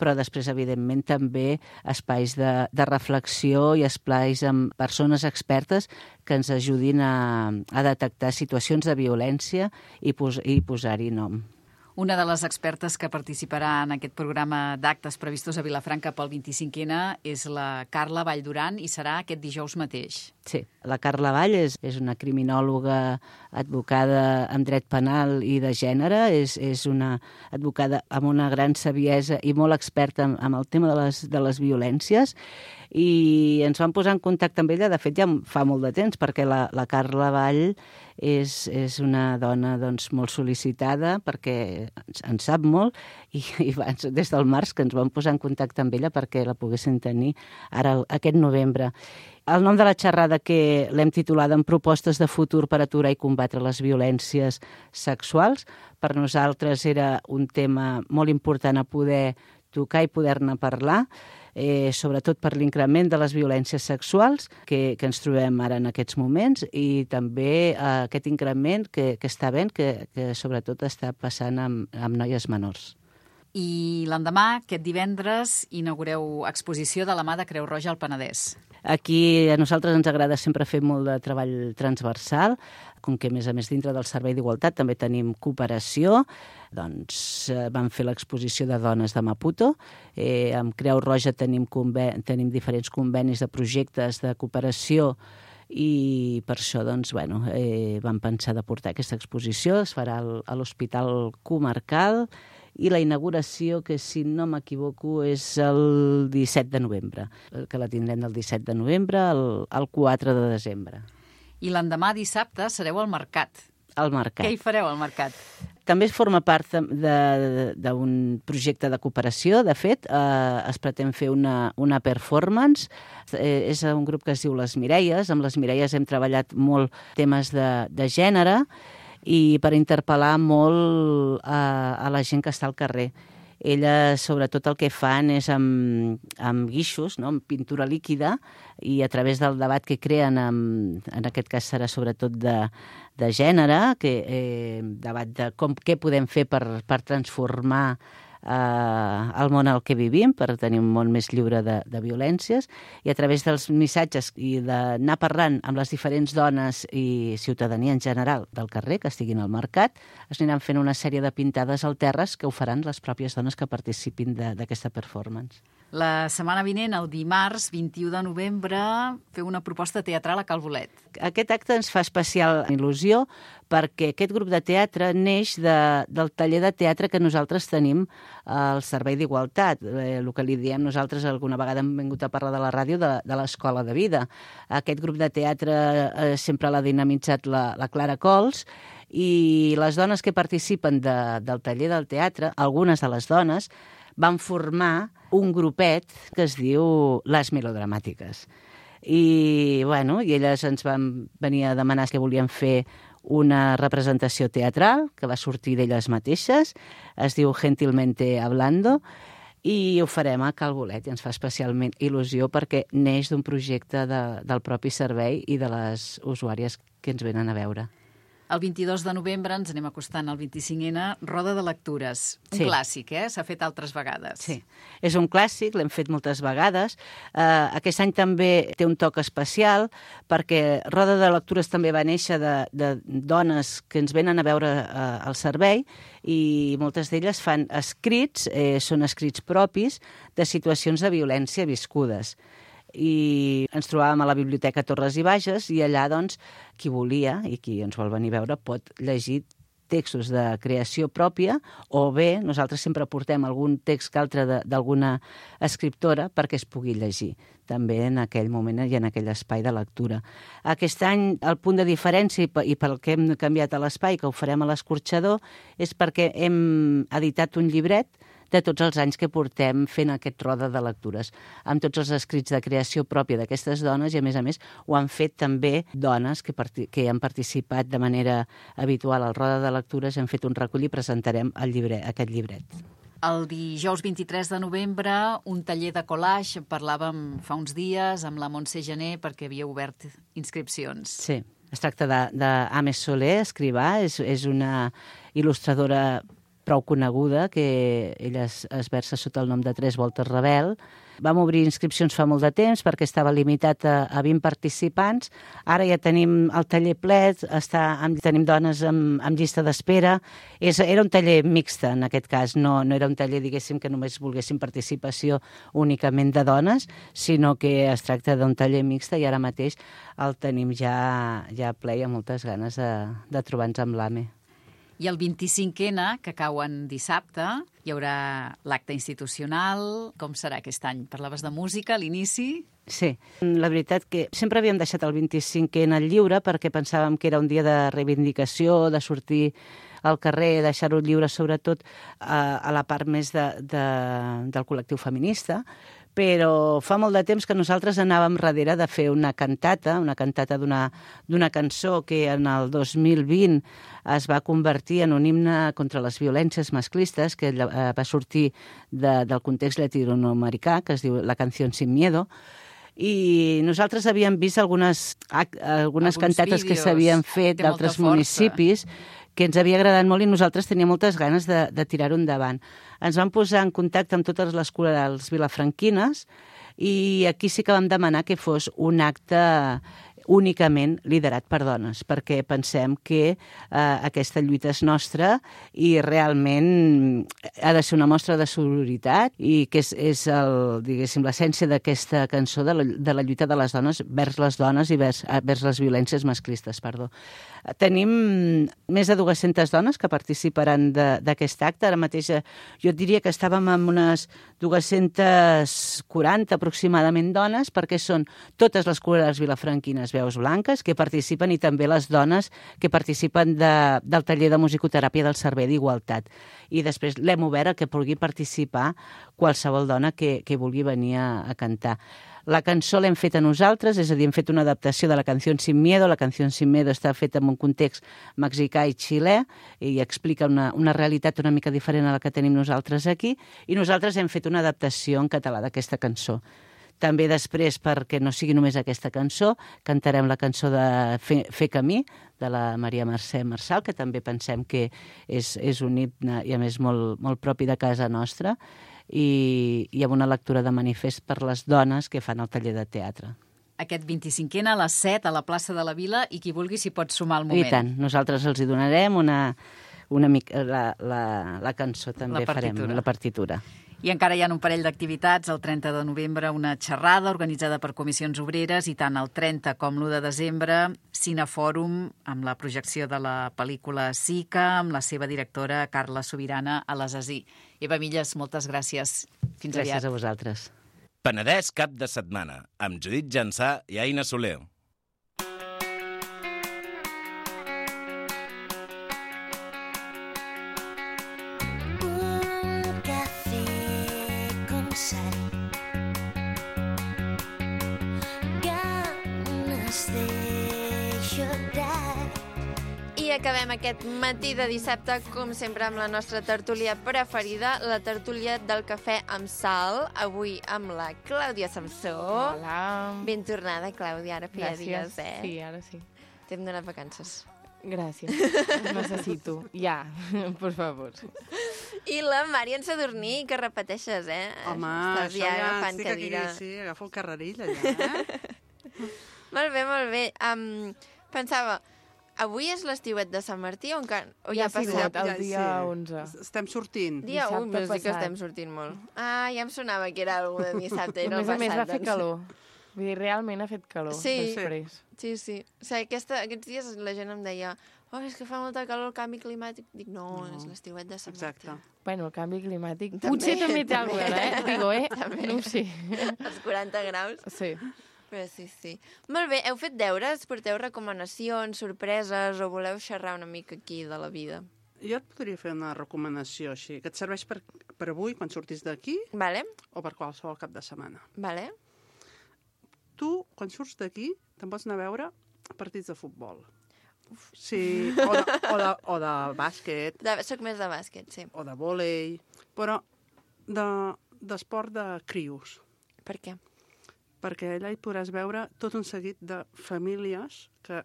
però després, evidentment, també espais de reflexió i espais amb persones expertes que ens ajudin a detectar situacions de violència i posar-hi nom. Una de les expertes que participarà en aquest programa d'actes previstos a Vilafranca pel 25N és la Carla Vallduran i serà aquest dijous mateix. Sí, la Carla Vall és una criminòloga advocada en dret penal i de gènere, és una advocada amb una gran saviesa i molt experta en el tema de les violències, i ens vam posar en contacte amb ella, de fet ja fa molt de temps, perquè la Carla Vall és una dona doncs, molt sol·licitada perquè en sap molt i des del març que ens vam posar en contacte amb ella perquè la poguessin tenir ara aquest novembre. El nom de la xerrada, que l'hem titulada en propostes de futur per aturar i combatre les violències sexuals, per nosaltres era un tema molt important a poder tocar i poder-ne parlar, sobretot per l'increment de les violències sexuals que ens trobem ara en aquests moments i també aquest increment que està havent, que sobretot està passant amb noies menors. I l'endemà, aquest divendres, inaugureu exposició de la mà de Creu Roja al Penedès. Aquí a nosaltres ens agrada sempre fer molt de treball transversal, com que, a més dintre del Servei d'Igualtat també tenim cooperació, doncs vam fer l'exposició de dones de Maputo. Amb Creu Roja tenim diferents convenis de projectes de cooperació i per això doncs, vam pensar de portar aquesta exposició. Es farà a l'Hospital Comarcal i la inauguració, que si no m'equivoco és el 17 de novembre, que la tindrem del 17 de novembre al 4 de desembre. I l'endemà dissabte sereu al Mercat. Al Mercat. Què hi fareu al Mercat? També forma part d'un projecte de cooperació. De fet, es pretén fer una performance. És un grup que es diu Les Mireies. Amb les Mireies hem treballat molt temes de gènere i per interpel·lar molt a la gent que està al carrer. Elles, sobretot, el que fan és amb guixos, no? Amb pintura líquida, i a través del debat que creen, en aquest cas serà sobretot de gènere, debat de què podem fer per transformar el món en el que vivim, per tenir un món més lliure de violències, i a través dels missatges i d'anar parlant amb les diferents dones i ciutadania en general del carrer que estiguin al mercat, es aniran fent una sèrie de pintades al terres que ho faran les pròpies dones que participin d'aquesta performance. La setmana vinent, el dimarts 21 de novembre, feu una proposta teatral a Cal Bolet. Aquest acte ens fa especial il·lusió perquè aquest grup de teatre neix del taller de teatre que nosaltres tenim al Servei d'Igualtat. El que li diem nosaltres, alguna vegada hem vingut a parlar de la ràdio, de l'Escola de Vida. Aquest grup de teatre sempre l'ha dinamitzat la Clara Cols, i les dones que participen del taller del teatre, algunes de les dones, van formar un grupet que es diu Les Melodramàtiques. I elles ens van venir a demanar que volien fer una representació teatral que va sortir d'elles mateixes, es diu Gentilmente Hablando, i ho farem a Cal Bolet, i ens fa especialment il·lusió perquè neix d'un projecte del propi servei i de les usuàries que ens venen a veure. El 22 de novembre ens anem acostant al 25N, Roda de Lectures. Un clàssic, S'ha fet altres vegades. Sí, és un clàssic, l'hem fet moltes vegades. Aquest any també té un toc especial perquè Roda de Lectures també va néixer de dones que ens venen a veure al servei i moltes d'elles fan escrits, són escrits propis de situacions de violència viscudes. I ens trobàvem a la Biblioteca Torres i Bages i allà, doncs, qui volia i qui ens vol venir a veure pot llegir textos de creació pròpia o bé nosaltres sempre portem algun text que altre d'alguna escriptora perquè es pugui llegir també en aquell moment i en aquell espai de lectura. Aquest any el punt de diferència i pel que hem canviat a l'espai, que ho farem a l'Escorxador, és perquè hem editat un llibret de tots els anys que portem fent aquest Roda de Lectures, amb tots els escrits de creació pròpia d'aquestes dones i, a més, ho han fet també dones que han participat de manera habitual al Roda de Lectures, hem fet un recull i presentarem aquest llibret. El dijous 23 de novembre, un taller de collage, parlàvem fa uns dies amb la Montse Gené perquè havia obert inscripcions. Sí, es tracta d'Ames Soler, escrivà, és una il·lustradora prou coneguda, que ella es versa sota el nom de 3 Voltes Rebel. Vam obrir inscripcions fa molt de temps perquè estava limitat a 20 participants. Ara ja tenim el taller ple, tenim dones amb llista d'espera. Era un taller mixte, en aquest cas. No era un taller, diguéssim, que només volguéssim participació únicament de dones, sinó que es tracta d'un taller mixte i ara mateix el tenim ja ple i amb moltes ganes de trobar-nos amb l'AME. I el 25N, que cau en dissabte, hi haurà l'acte institucional. Com serà aquest any? Parlaves de música a l'inici? Sí, la veritat que sempre havíem deixat el 25N lliure perquè pensàvem que era un dia de reivindicació, de sortir al carrer, deixar-ho lliure sobretot a la part més del col·lectiu feminista, però fa molt de temps que nosaltres anàvem darrere de fer una cantata d'una cançó que en el 2020 es va convertir en un himne contra les violències masclistes, que va sortir del context llatinoamericà, que es diu La canción sin miedo, i nosaltres havíem vist algunes cantates que s'havien fet d'altres municipis que ens havia agradat molt i nosaltres teníem moltes ganes de tirar-ho endavant. Ens vam posar en contacte amb totes les corals vilafranquines i aquí sí que vam demanar que fos un acte únicament liderat per dones, perquè pensem que aquesta lluita és nostra i realment ha de ser una mostra de sororitat i que és l'essència d'aquesta cançó de la lluita de les dones vers les dones i vers les violències masclistes. Tenim més de 200 dones que participaran d'aquest acte. Ara mateix jo et diria que estàvem amb unes 240 aproximadament dones, perquè són totes les corals vilafranquines veus blanques que participen i també les dones que participen del taller de musicoteràpia del Servei d'Igualtat. I després l'hem obert a que pugui participar qualsevol dona que vulgui venir a cantar. La cançó l'hem feta nosaltres, és a dir, hem fet una adaptació de La canción sin miedo. La canción sin miedo està feta en un context mexicà i xilè i explica una realitat una mica diferent a la que tenim nosaltres aquí, i nosaltres hem fet una adaptació en català d'aquesta cançó. També després, perquè no sigui només aquesta cançó, cantarem la cançó de Fer camí, de la Maria Mercè Marçal, que també pensem que és un himne i a més molt propi de casa nostra, i amb una lectura de manifest per les dones que fan el taller de teatre. Aquest 25N a les 7 a la plaça de la Vila, i qui vulgui s'hi pot sumar al moment. I tant, nosaltres els hi donarem la cançó, també farem la partitura. I encara hi ha un parell d'activitats. El 30 de novembre una xerrada organitzada per comissions obreres, i tant el 30 com l'1 de desembre Cinefòrum amb la projecció de la pel·lícula Sica amb la seva directora Carla Sobirana a l'Assassí. Eva Milles, moltes gràcies. Fins aviat. Gràcies a vosaltres. Penedès cap de setmana amb Judit Jansà i Aina Soler. acabem aquest matí de dissabte, com sempre, amb la nostra tertúlia preferida, la tertúlia del cafè amb sal, avui amb la Clàudia Samsó. Hola. Ben tornada, Clàudia, ara feia dies, Sí, ara sí. T'hem donat vacances. Gràcies. Necessito. Ja, per favor. I la Marian Sadurní, que repeteixes, Home, estàs ja agafant estic cadira. aquí, sí, agafo el carreril allà, Molt bé. Pensava, avui és l'estiuet de Sant Martí o ja ha passat? El dia 11. Estem sortint. Dia 1, Dissabte vols dir que passat. estem sortint molt. Ah, ja em sonava que era algú de dissabte, no A el passat. més, va fer doncs. calor. Vull dir, realment ha fet calor Sí. després. Sí. O sigui, aquests dies la gent em deia és que fa molta calor el canvi climàtic. Dic, no. És l'estiuet de Sant Martí. Bueno, el canvi climàtic També, potser també té alguna cosa, Digo, També. no ho sé. Els 40 graus. Sí. Però sí. Molt bé, heu fet deures? Porteu recomanacions, sorpreses, o voleu xerrar una mica aquí de la vida? Jo et podria fer una recomanació així, que et serveix per avui, quan surtis d'aquí, Vale. o per qualsevol cap de setmana. Vale. Tu, quan surts d'aquí, te'n pots anar a veure partits de futbol. Sí, o de bàsquet. Soc més de bàsquet, sí. O de vòlei, però d'esport de crios. Per què? Perquè allà hi podràs veure tot un seguit de famílies que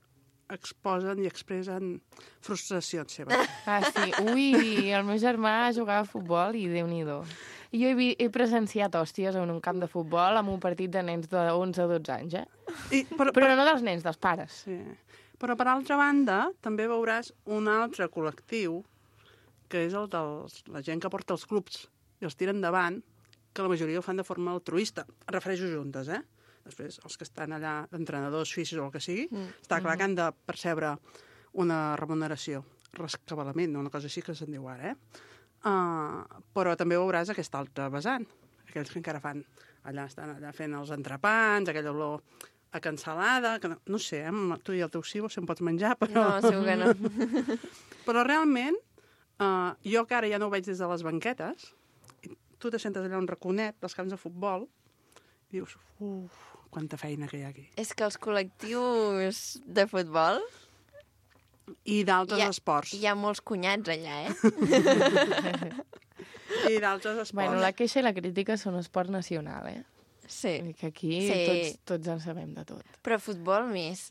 exposen i expressen frustracions seves. Ah, sí. Ui, el meu germà jugava a futbol i Déu-n'hi-do. I jo he presenciat hòsties en un camp de futbol amb un partit de nens de 11 o 12 anys, Però no dels nens, dels pares. Sí. Però, per altra banda, també veuràs un altre col·lectiu, que és el de la gent que porta els clubs i els tira endavant, que la majoria ho fan de forma altruista. Em refereixo juntes, Després, els que estan allà d'entrenadors, físics o el que sigui, està clar que han de percebre una remuneració, rescabalament, una cosa així que se'n diu ara, però també veuràs aquest altre vessant, aquells que encara fan, estan allà fent els entrepans, aquella olor a cansalada, que no sé, tu i el teu cibo si em pots menjar, però... No, segur que no. Però realment, jo que ara ja no ho veig des de les banquetes, tu te sentes allà un raconet dels camps de futbol, i dius, quanta feina que hi ha aquí. És que els col·lectius de futbol... I d'altres esports. Hi ha molts cunyats allà, I d'altres esports. Bueno, la queixa i la crítica són esport nacional, Sí. Que aquí tots en sabem de tot. Però futbol més.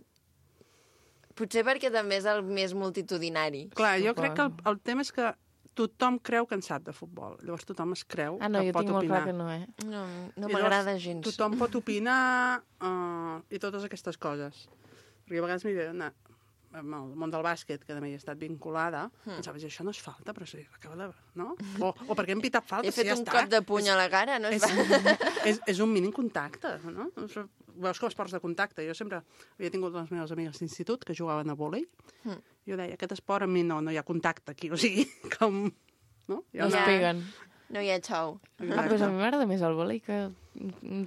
Potser perquè també és el més multitudinari. Clar, jo crec que el tema és que tothom creu que en sap de futbol. Llavors tothom es creu que pot opinar. Jo tinc molt clar que no, No m'agrada gens. Tothom pot opinar i totes aquestes coses. Perquè a vegades m'hi ve anar amb el món del bàsquet, que també hi he estat vinculada, pensaves, això no és falta, però sí, acaba de... No? O perquè hem pitat falta, He fet un cop de puny a la cara, no es va... És un mínim contacte, no? Veus com esports de contacte. Jo sempre havia tingut les meves amigues d'institut que jugaven a vòlei. Jo deia, aquest esport a mi no hi ha contacte aquí, o sigui, com... No es peguen. No hi ha xou. Però a mi m'agrada més el vòlei que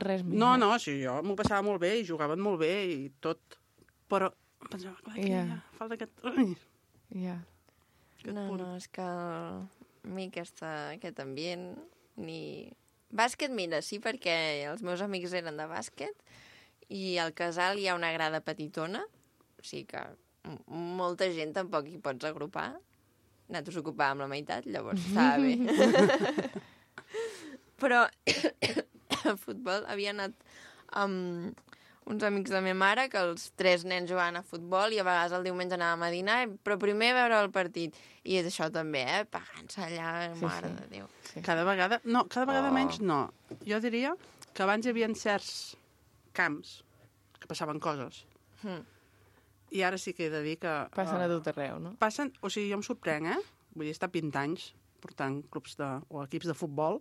res més. No, sí, jo m'ho passava molt bé i jugaven molt bé i tot, però pensava, clar, aquí ja falta aquest... No, és que a mi aquest ambient ni... Bàsquet, mira, sí, perquè els meus amics eren de bàsquet i al casal hi ha una grada petitona, o sigui que molta gent tampoc hi pots agrupar. Nosaltres ocupàvem la meitat, llavors estava bé. Però a futbol havia anat amb uns amics de la meva mare, que els 3 nens jugaven a futbol i a vegades el diumenge anàvem a dinar, però primer veure el partit. I és això també, pagant-se allà, mare de Déu. Sí. Cada vegada menys no. Jo diria que abans hi havia certs camps que passaven coses. I ara sí que he de dir que... Passen a tot arreu, no? Passen, o sigui, jo em sorprenc, Vull dir, he estat 20 anys portant clubs o equips de futbol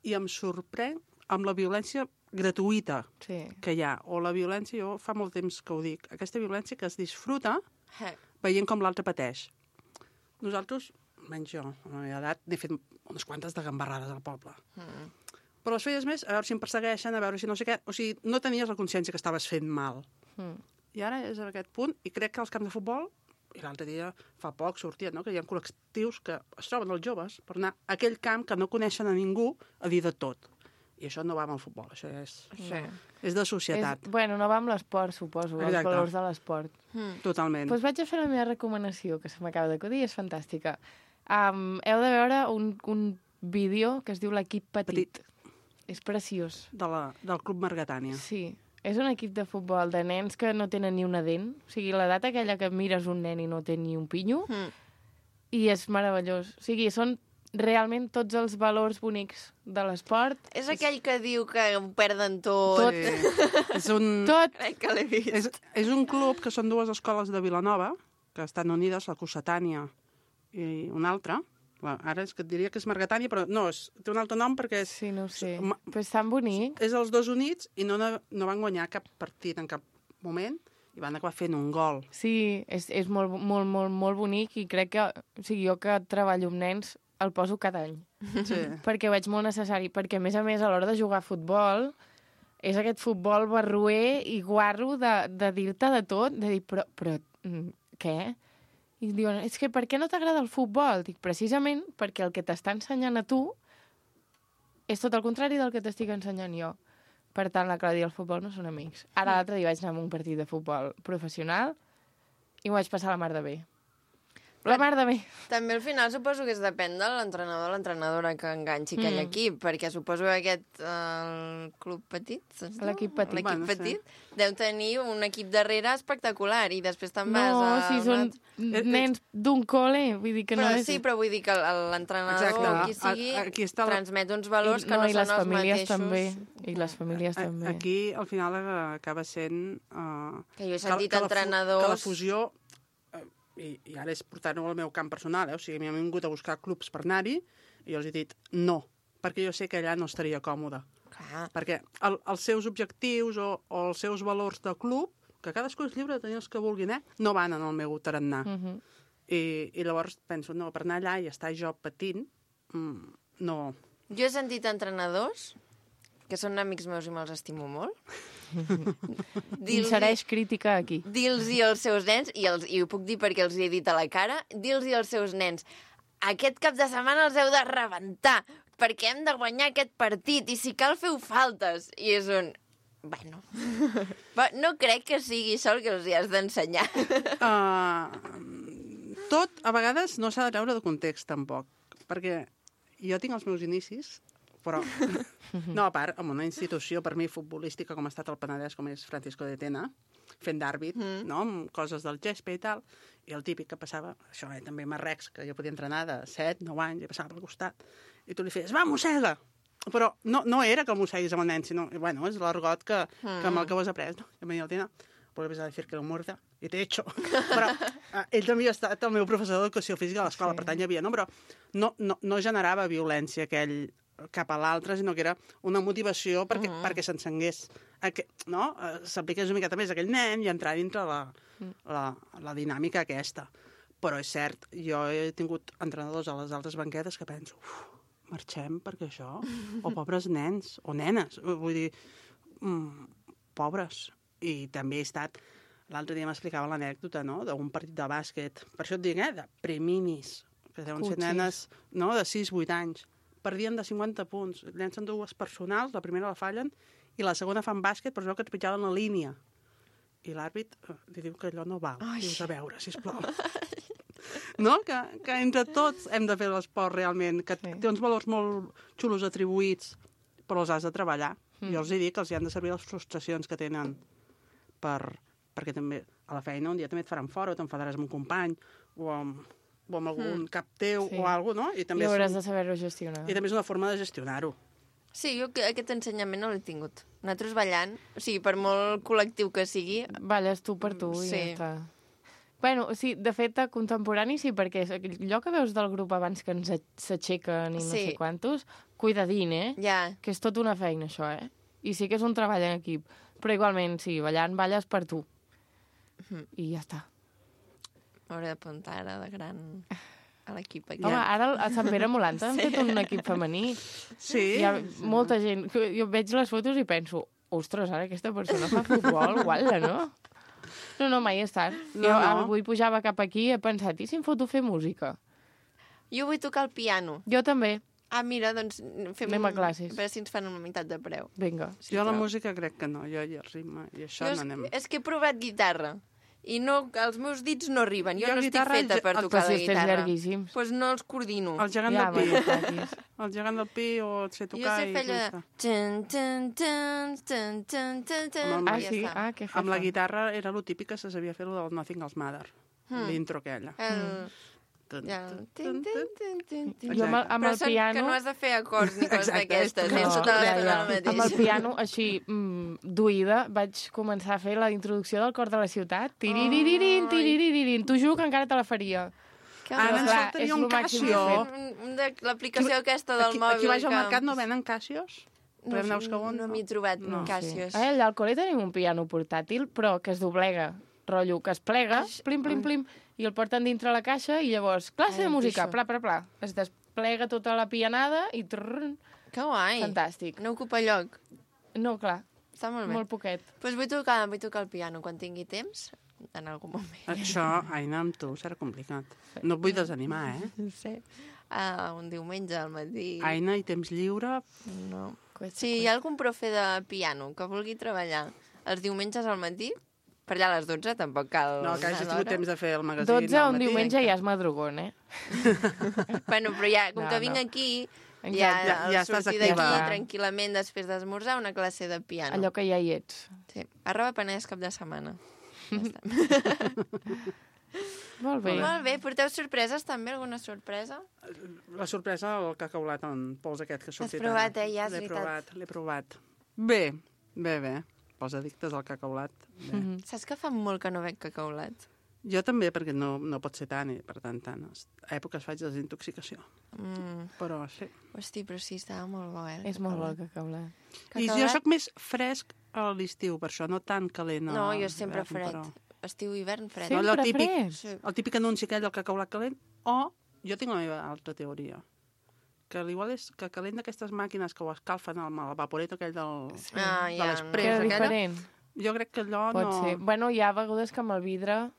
i em sorprenc amb la violència gratuïta que hi ha. O la violència, jo fa molt temps que ho dic, aquesta violència que es disfruta veient com l'altre pateix. Nosaltres, menys jo, a la meva edat, n'he fet unes quantes de gambarrades al poble. Però les feies més, a veure si em persegueixen, a veure si no sé què... O sigui, no tenies la consciència que estaves fent mal. I ara és a aquest punt, i crec que als camps de futbol, i l'altre dia, fa poc, sortia, no?, que hi ha col·lectius que es troben els joves per anar a aquell camp que no coneixen a ningú a dir de tot. I això no va amb el futbol, això és de societat. No va amb l'esport, suposo, els valors de l'esport. Totalment. Doncs vaig a fer la meva recomanació, que se m'acaba d'acudir, és fantàstica. Heu de veure un vídeo que es diu L'equip petit. És preciós. Del Club Margatània. Sí. És un equip de futbol de nens que no tenen ni una dent. O sigui, l'edat aquella que mires un nen i no té ni un pinyo. I és meravellós. O sigui, són realment tots els valors bonics de l'esport. És aquell que diu que ho perden tot. Tot. Que l'he vist. És un club que són 2 escoles de Vilanova, que estan unides, la Cossetània i una altra. Ara és que et diria que és Margatània, però no, té un altre nom perquè és... Sí, no ho sé. Però és tan bonic. És els 2 units i no van guanyar cap partit en cap moment i van acabar fent un gol. Sí, és molt, molt, molt, molt bonic i crec que... O sigui, jo que treballo amb nens el poso cada any. Sí. Perquè ho veig molt necessari. Perquè, a més, a l'hora de jugar a futbol, és aquest futbol barroer i guarro de dir-te de tot, de dir, però què? I diuen, és que per què no t'agrada el futbol? Dic, precisament perquè el que t'està ensenyant a tu és tot el contrari del que t'estic ensenyant jo. Per tant, la Clàudia i el futbol no són amics. Ara l'altre dia vaig anar a un partit de futbol professional i m'ho vaig passar la mar de bé. La mar de bé. També al final suposo que depèn de l'entrenador o l'entrenadora que enganxi aquell equip, perquè suposo que aquest club petit, l'equip petit, l'equip petit deu tenir un equip darrere espectacular i després te'n vas a... No, si són nens d'un col·le, vull dir que no és... Sí, però vull dir que l'entrenador o qui sigui transmet uns valors que no són els mateixos. També. I les famílies també. Aquí, al final, acaba sent... Que jo he sentit entrenadors... Que la fusió... I ara és portar-ho al meu camp personal, o sigui, m'han vingut a buscar clubs per anar-hi i jo els he dit no, perquè jo sé que allà no estaria còmode. Perquè els seus objectius o els seus valors de club, que cadascú és lliure de tenir els que vulguin, no van en el meu tarannà. I llavors penso, no, per anar allà i estar jo patint, no. Jo he sentit entrenadors que són amics meus i me'ls estimo molt. Insereix crítica aquí. Dir-los-hi als seus nens, i ho puc dir perquè els hi he dit a la cara, dir-los-hi als seus nens, aquest cap de setmana els heu de rebentar, perquè hem de guanyar aquest partit, i si cal feu faltes. I és un... Bueno, no crec que sigui això el que els hi has d'ensenyar. Tot, a vegades, no s'ha de treure de context, tampoc, perquè jo tinc els meus inicis, però, no, a part, en una institució, per mi, futbolística, com ha estat el Penedès, com és Francisco de Tena, fent d'àrbit, no?, amb coses del gespa i tal, i el típic que passava, això, també Marrecs, que jo podia entrenar de 7, 9 anys, i passava pel costat, i tu li feies, va, mossega! Però no era que el mosseguis amb el nen, sinó, bueno, és l'argot que amb el que ho has après, no? I em venia el Tena, vuelves a decir que lo muerda, i t'he hecho. Però ell també ha estat el meu professor d'educació física a l'escola, per tant hi havia, no? Però no generava violència aquell cap a l'altre, sinó que era una motivació perquè s'encengués, no? S'apliqués una miqueta més a aquell nen i entrar dintre la dinàmica aquesta. Però és cert, jo he tingut entrenadors a les altres banquetes que penso, marxem perquè això, o pobres nens, o nenes, vull dir, pobres. I també he estat, l'altre dia m'explicava l'anècdota, no?, d'un partit de bàsquet, per això et dic, de preminis, que deuen ser nenes, no?, de 6-8 anys, perdien de 50 punts, llencen 2 personals, la primera la fallen, i la segona fan bàsquet, però es veu que trepitjaven la línia. I l'àrbit li diu que allò no val. Dius, a veure, sisplau. No? Que entre tots hem de fer l'esport realment, que té uns valors molt xulos atribuïts, però els has de treballar. Jo els dic que els hi han de servir les frustracions que tenen perquè també a la feina un dia també et faran fora, o t'enfadaràs amb un company, o amb algun cap teu o alguna cosa, no? I també hauràs de saber-ho gestionar. I també és una forma de gestionar-ho. Sí, jo aquest ensenyament no l'he tingut. Nosaltres ballant, o sigui, per molt col·lectiu que sigui... Balles tu per tu i ja està. Bueno, sí, de fet, a contemporani sí, perquè allò que veus del grup abans que ens s'aixequen i no sé quantos, cuidadín, que és tota una feina, això, I sí que és un treball en equip. Però igualment, sí, ballant balles per tu. I ja està. M'hauré d'apuntar ara de gran a l'equip aquí. Home, ara a Sant Pere Molanta han fet un equip femení. Sí. Hi ha molta gent. Jo veig les fotos i penso, ostres, ara aquesta persona fa futbol, gualla, no? No, mai he estat. Jo avui pujava cap aquí i he pensat, i si em foto fer música? Jo vull tocar el piano. Jo també. mira, doncs anem a classes. A veure si ens fan una meitat de preu. Vinga. Jo la música crec que no, jo i el ritme, i això no anem. És que he provat guitarra, i els meus dits no arriben. Jo no estic feta per tocar la guitarra. Doncs no els coordino. El gegant del Pi. El gegant del Pi o et sé tocar i ja està. Amb la guitarra era lo típic que se sabia fer lo del Nothing Else Matter. L'intro aquella. Jo amb el piano... Que no has de fer acords ni coses d'aquestes. Amb el piano, així, d'oïda, vaig començar a fer la introducció del Cor de la Ciutat. Tiriririn, tiriririn. T'ho juro que encara te la faria. Ara ens faltaria un Casio. L'aplicació aquesta del mòbil. Aquí baix al mercat no venen Casios? No m'hi he trobat Casios. Allà al col·le tenim un piano portàtil, però que es doblega, rotllo, que es plega, plim, plim, plim, i el porten dintre la caixa i llavors, classe de música, pla, pla, pla. Es desplega tota la pianada i... Que guai. Fantàstic. No ocupa lloc. No, clar. Està molt bé. Molt poquet. Doncs vull tocar el piano quan tingui temps, en algun moment. Això, Aina, amb tu serà complicat. No et vull desanimar, No sé. Un diumenge al matí... Aina, i temps lliure? No. Si hi ha algun profe de piano que vulgui treballar els diumenges al matí, per allà a les 12 tampoc cal... No, que hagis tingut temps de fer el magazín 12 un diumenge ja és madrugón, Bueno, però ja, com que vinc aquí, ja sortir d'aquí tranquil·lament després d'esmorzar una classe de piano. Allò que ja hi ets. Sí, arroba Penedès cap de setmana. Molt bé. Molt bé. Porteu sorpreses també? Alguna sorpresa? La sorpresa, el cacaulat en pols aquest que ha sortit. L'has provat, ja, és veritat. L'he provat. Bé. Pels addictes al cacaulat. Saps que fa molt que no bec cacaulat? Jo també, perquè no pot ser tant, i per tant, a èpoques faig desintoxicació. Però sí. Hosti, però sí, estava molt bo, És molt bo el cacaulat. I jo sóc més fresc a l'estiu, per això, no tan calent. No, jo sempre fred. Estiu, hivern, fred. Sempre fred? El típic anunci aquell del cacaulat calent, o jo tinc la meva altra teoria, que igual és que calent d'aquestes màquines que ho escalfen amb el vaporet aquell de l'express. Diferent. Jo crec que allò Pot ser. Bueno, hi ha begudes que amb el vidre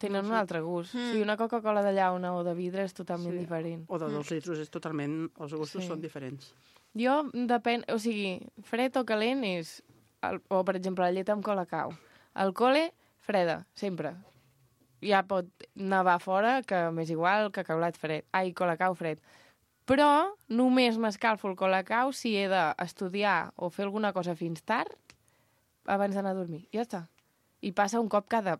tenen un altre gust. O sigui, una Coca-Cola de llauna o de vidre és totalment diferent. O de 2 litros és totalment... Els gustos són diferents. Jo, depèn... O sigui, fred o calent és... O, per exemple, la llet amb colacao. Al col·le, freda, sempre. Ja pot nevar fora, que m'és igual, cacaulat fred. Ai, colacao fred. Però només m'escalfo el colacao si he d'estudiar o fer alguna cosa fins tard abans d'anar a dormir. Ja està. I passa un cop cada...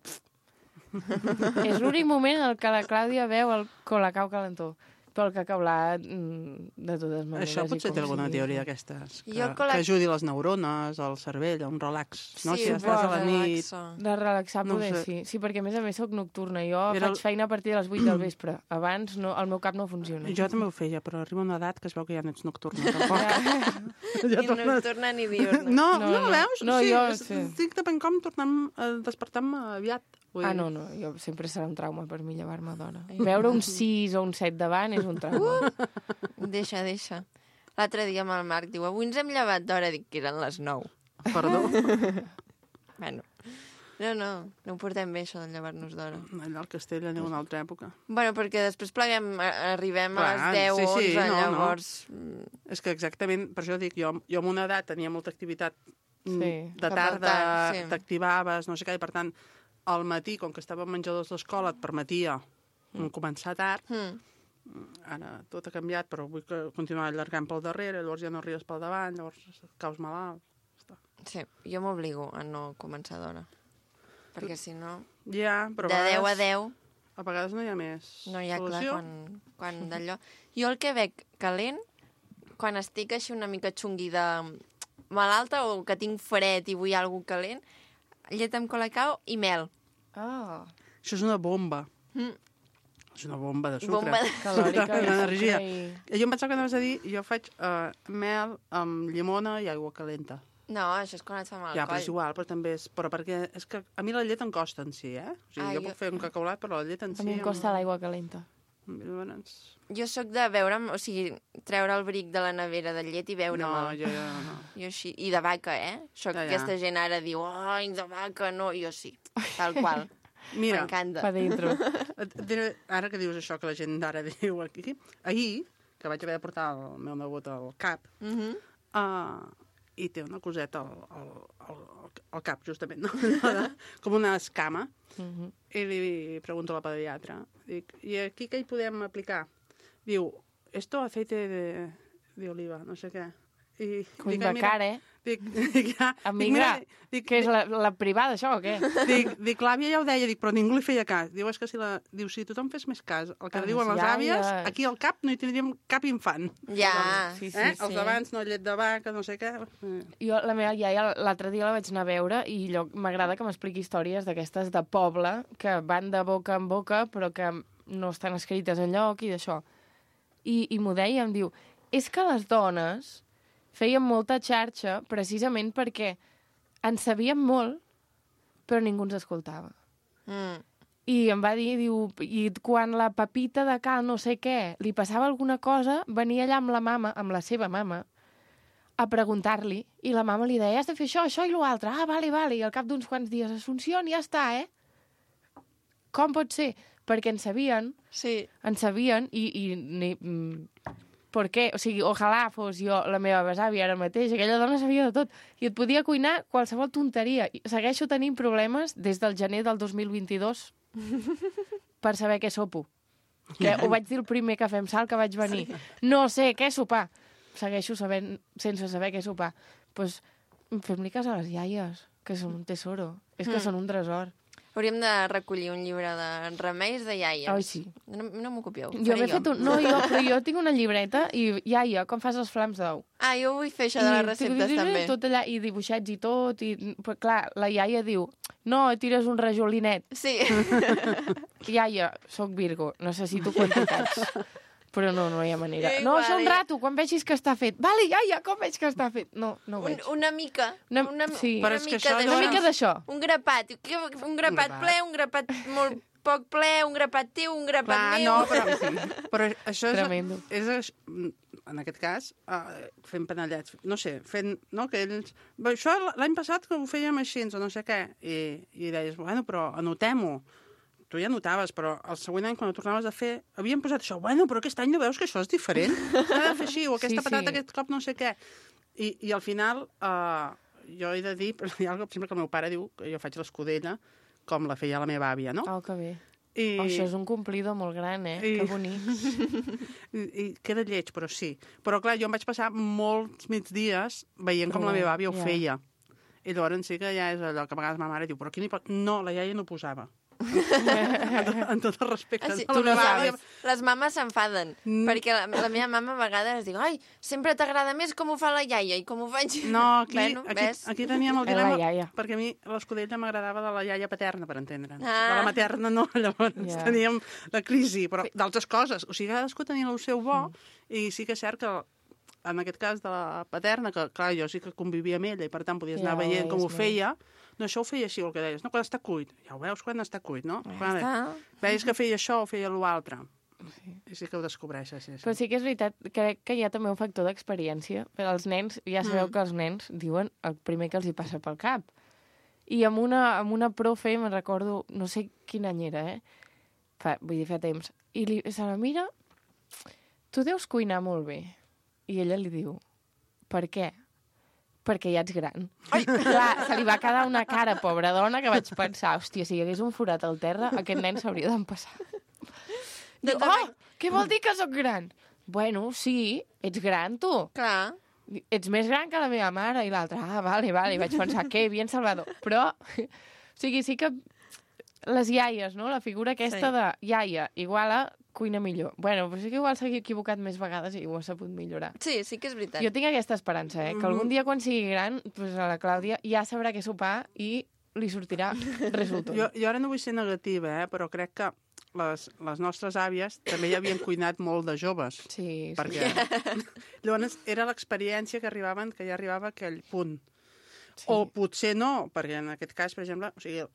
És l'únic moment en què la Clàudia veu el colacao calentó. Però el cacaulat, de totes maneres... Això potser té alguna teoria d'aquestes, que ajudi les neurones, el cervell, un relax. No? Si estàs a la nit... De relaxar, poder sí. Sí, perquè a més són nocturna. Jo faig feina a partir de les 8 del vespre. Abans el meu cap no funciona. Jo també ho feia, però arriba una edat que es veu que ja no ets nocturna. Ni nocturna ni diurna. No, veus? No, jo... Estic depèn com despertant-me aviat. No, jo sempre serà un trauma per mi llevar-me d'hora. Veure un 6 o un 7 davant és un trauma. Deixa. L'altre dia amb el Marc diu, avui ens hem llevat d'hora, dic que eren les 9. Perdó? Bueno, no ho portem bé, això de llevar-nos d'hora. Allà al castell aneu una altra època. Bueno, perquè després arribem a les 10 o 11, llavors... És que exactament, per això dic, jo amb una edat tenia molta activitat de tarda, t'activaves, no sé què, i per tant... Al matí, com que estàvem menjadors d'escola, et permetia començar tard. Ara tot ha canviat, però vull continuar allargant pel darrere, llavors ja no arribes pel davant, llavors caus malalt. Sí, jo m'obligo a no començar d'hora. Perquè si no... Ja, però de 10 a 10... A vegades no hi ha més no hi ha, solució. Clar, quan d'allò... Jo el que veig calent, quan estic així una mica xunguida malalta o que tinc fred i vull alguna cosa calent, llet amb colacao i mel. Això és una bomba. És una bomba de sucre. Bomba calòrica. D'energia. Jo em pensava que anaves a dir, jo faig mel amb llimona i aigua calenta. No, això és quan et fa mal ja, però és igual, però també és... Però perquè és que a mi la llet em costa en si, O sigui, jo puc fer un cacaulat, però la llet en si... A mi em costa l'aigua calenta. Jo sóc de veure'm, o sigui, treure el bric de la nevera de llet i veure'm. No, jo no. Jo així, i de vaca, Soc aquesta gent ara diu, ai, de vaca, no, jo sí, tal qual. Mira, m'encanta. Pa dentro. Ara que dius això que la gent d'ara diu aquí, ahir que vaig haver de portar el meu nebot al CAP, i té una coseta al cap, justament, no? Com una escama. I li pregunto a la pediatra, dic, i aquí què hi podem aplicar? Diu, esto aceite de oliva, no sé què. Cull de cara, Amiga, que és la privada, això, o què? Dic, l'àvia ja ho deia, però ningú li feia cas. Diu, és que si tothom fes més cas el que diuen les àvies, aquí al cap no hi tindríem cap infant. Ja. Els d'abans, no, llet de vaca, no sé què. Jo, la meva iaia, l'altre dia la vaig anar a veure i m'agrada que m'expliqui històries d'aquestes de poble que van de boca en boca però que no estan escrites enlloc i d'això. I m'ho deia, em diu, és que les dones feien molta xarxa precisament perquè en sabíem molt, però ningú ens escoltava. I em va dir, diu, i quan la Pepita de cal no sé què li passava alguna cosa, venia allà amb la mama, amb la seva mama, a preguntar-li, i la mama li deia, has de fer això i l'altre. Ah, vale, i al cap d'uns quants dies, Assumpció, ja està, Com pot ser? Perquè en sabien, i per què? O sigui, ojalà fos jo la meva besàvia ara mateix, aquella dona sabia de tot, i et podia cuinar qualsevol tonteria. Segueixo tenint problemes des del gener del 2022 per saber què sopo. Que ho vaig dir el primer cafè amb sal que vaig venir. No sé què sopar. Segueixo sabent, sense saber què sopar. Doncs fem-li cas a les iaies, que són un tesoro. És que són un tresor. Hauríem de recollir un llibre de remeis de iaies. Ai, sí. No m'ho copieu. Jo m'he fet un... No, però jo tinc una llibreta i, iaia, com fas els flams d'ou? Ah, jo vull fer això de les receptes, també. Tot allà, i dibuixets i tot, i... Però, clar, la iaia diu, no, tires un rajolinet. Sí. Iaia, soc Virgo, necessito quantitats. Però no hi ha manera. No, això un rato, quan vegis que està fet. Vale, iaia, com veig que està fet? No ho veig. Una mica. Sí. Una mica d'això. Un grapat. Un grapat ple, un grapat molt poc ple, un grapat teu, un grapat meu. No, però això és en aquest cas, fent panellets. No sé, no, que ells... Això l'any passat que ho fèiem així, o no sé què. I deies, bueno, però anotem-ho. Tu ja notaves, però el següent any, quan ho tornaves a fer, havíem posat això. Bueno, però aquest any no veus que això és diferent? S'ha de fer així, o aquesta patata aquest cop no sé què. I al final, jo he de dir, però hi ha alguna cosa, sempre que el meu pare diu que jo faig l'escudella com la feia la meva àvia, no? Oh, que bé. Això és un complidor molt gran, Que bonic. I queda lleig, però sí. Però clar, jo em vaig passar molts migdies veient com la meva àvia ho feia. I llavors sí que ja és allò que a vegades ma mare diu, però aquí no, la iaia no posava. En tot el respecte. Sí, les mames s'enfaden, perquè la meva mama a vegades diu, ai, sempre t'agrada més com ho fa la iaia i com ho faig... No, aquí teníem el dilema, perquè a mi l'escudella m'agradava de la iaia paterna, per entendre'ns. De la materna no, llavors teníem la crisi, però d'altres coses. O sigui, cadascú tenia el seu bo, i sí que és cert que en aquest cas de la paterna, que clar, jo sí que convivia amb ella i per tant podies anar veient com ho feia. No, això ho feia així, el que deies. No, quan està cuit. Ja ho veus quan està cuit, no? Veies que feia això o feia l'altre. I sí que ho descobreixes. Sí. Però sí que és veritat, crec que hi ha també un factor d'experiència. Per als nens, ja sabeu que els nens diuen el primer que els hi passa pel cap. I amb una profe, me'n recordo, no sé quin any era, fa temps. I se la mira, tu deus cuinar molt bé. I ella li diu, per què? Perquè ja ets gran. Ai! Clar, se li va quedar una cara, pobra dona, que vaig pensar, hòstia, si hi hagués un forat al terra, aquest nen s'hauria d'empassar. Diu, què vol dir que sóc gran? Bueno, sí, ets gran, tu. Clar. Ets més gran que la meva mare. I l'altra, vale. I vaig pensar, que bien Salvador. Però, o sigui, sí que les iaies, no? La figura aquesta de iaia igual a cuina millor. Bueno, però sí que igual s'ha equivocat més vegades i ho ha sabut millorar. Sí, sí que és veritat. Jo tinc aquesta esperança, que algun dia quan sigui gran, pues a la Clàudia ja sabrà què sopar i li sortirà resultat. Jo ara no vull ser negativa, però crec que les nostres àvies també ja havien cuinat molt de joves. Sí. Perquè llavors era l'experiència que ja arribava a aquell punt. Sí. O potser no, perquè en aquest cas, per exemple, o sigui,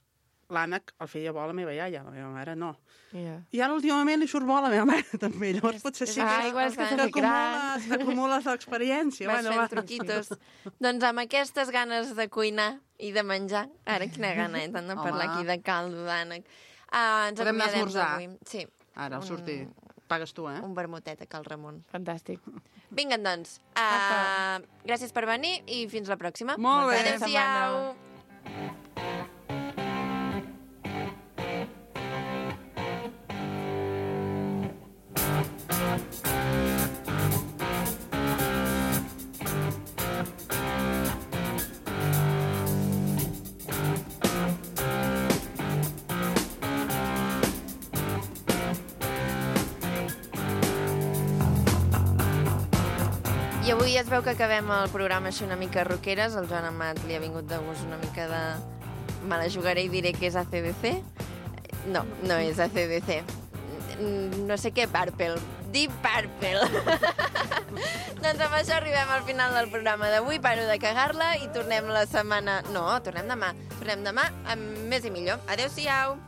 l'ànec el feia bo a la meva iaia, la meva mare no. I ara últimament li surt bo a la meva mare també, llavors potser sí que acumules l'experiència. Vas fent truquitos. Doncs amb aquestes ganes de cuinar i de menjar, ara quina gana, tant de parlar aquí de caldo d'ànec. Podem anar a esmorzar. Sí. Ara, al sortir. pagues tu, eh? Un vermutet a Cal Ramon. Fantàstic. Vinga, doncs. Gràcies per venir i fins la pròxima. Molt bé. Adéu-siau. I avui es veu que acabem el programa així una mica roqueres. El Joan Amat li ha vingut de gust una mica de... Me la jugaré i diré que és AC/DC. No, no és AC/DC. No sé què, Purple. Deep Purple. Doncs amb això arribem al final del programa d'avui. Paro de cagar-la i tornem la setmana... No, tornem demà. Tornem demà amb més i millor. Adéu-siau.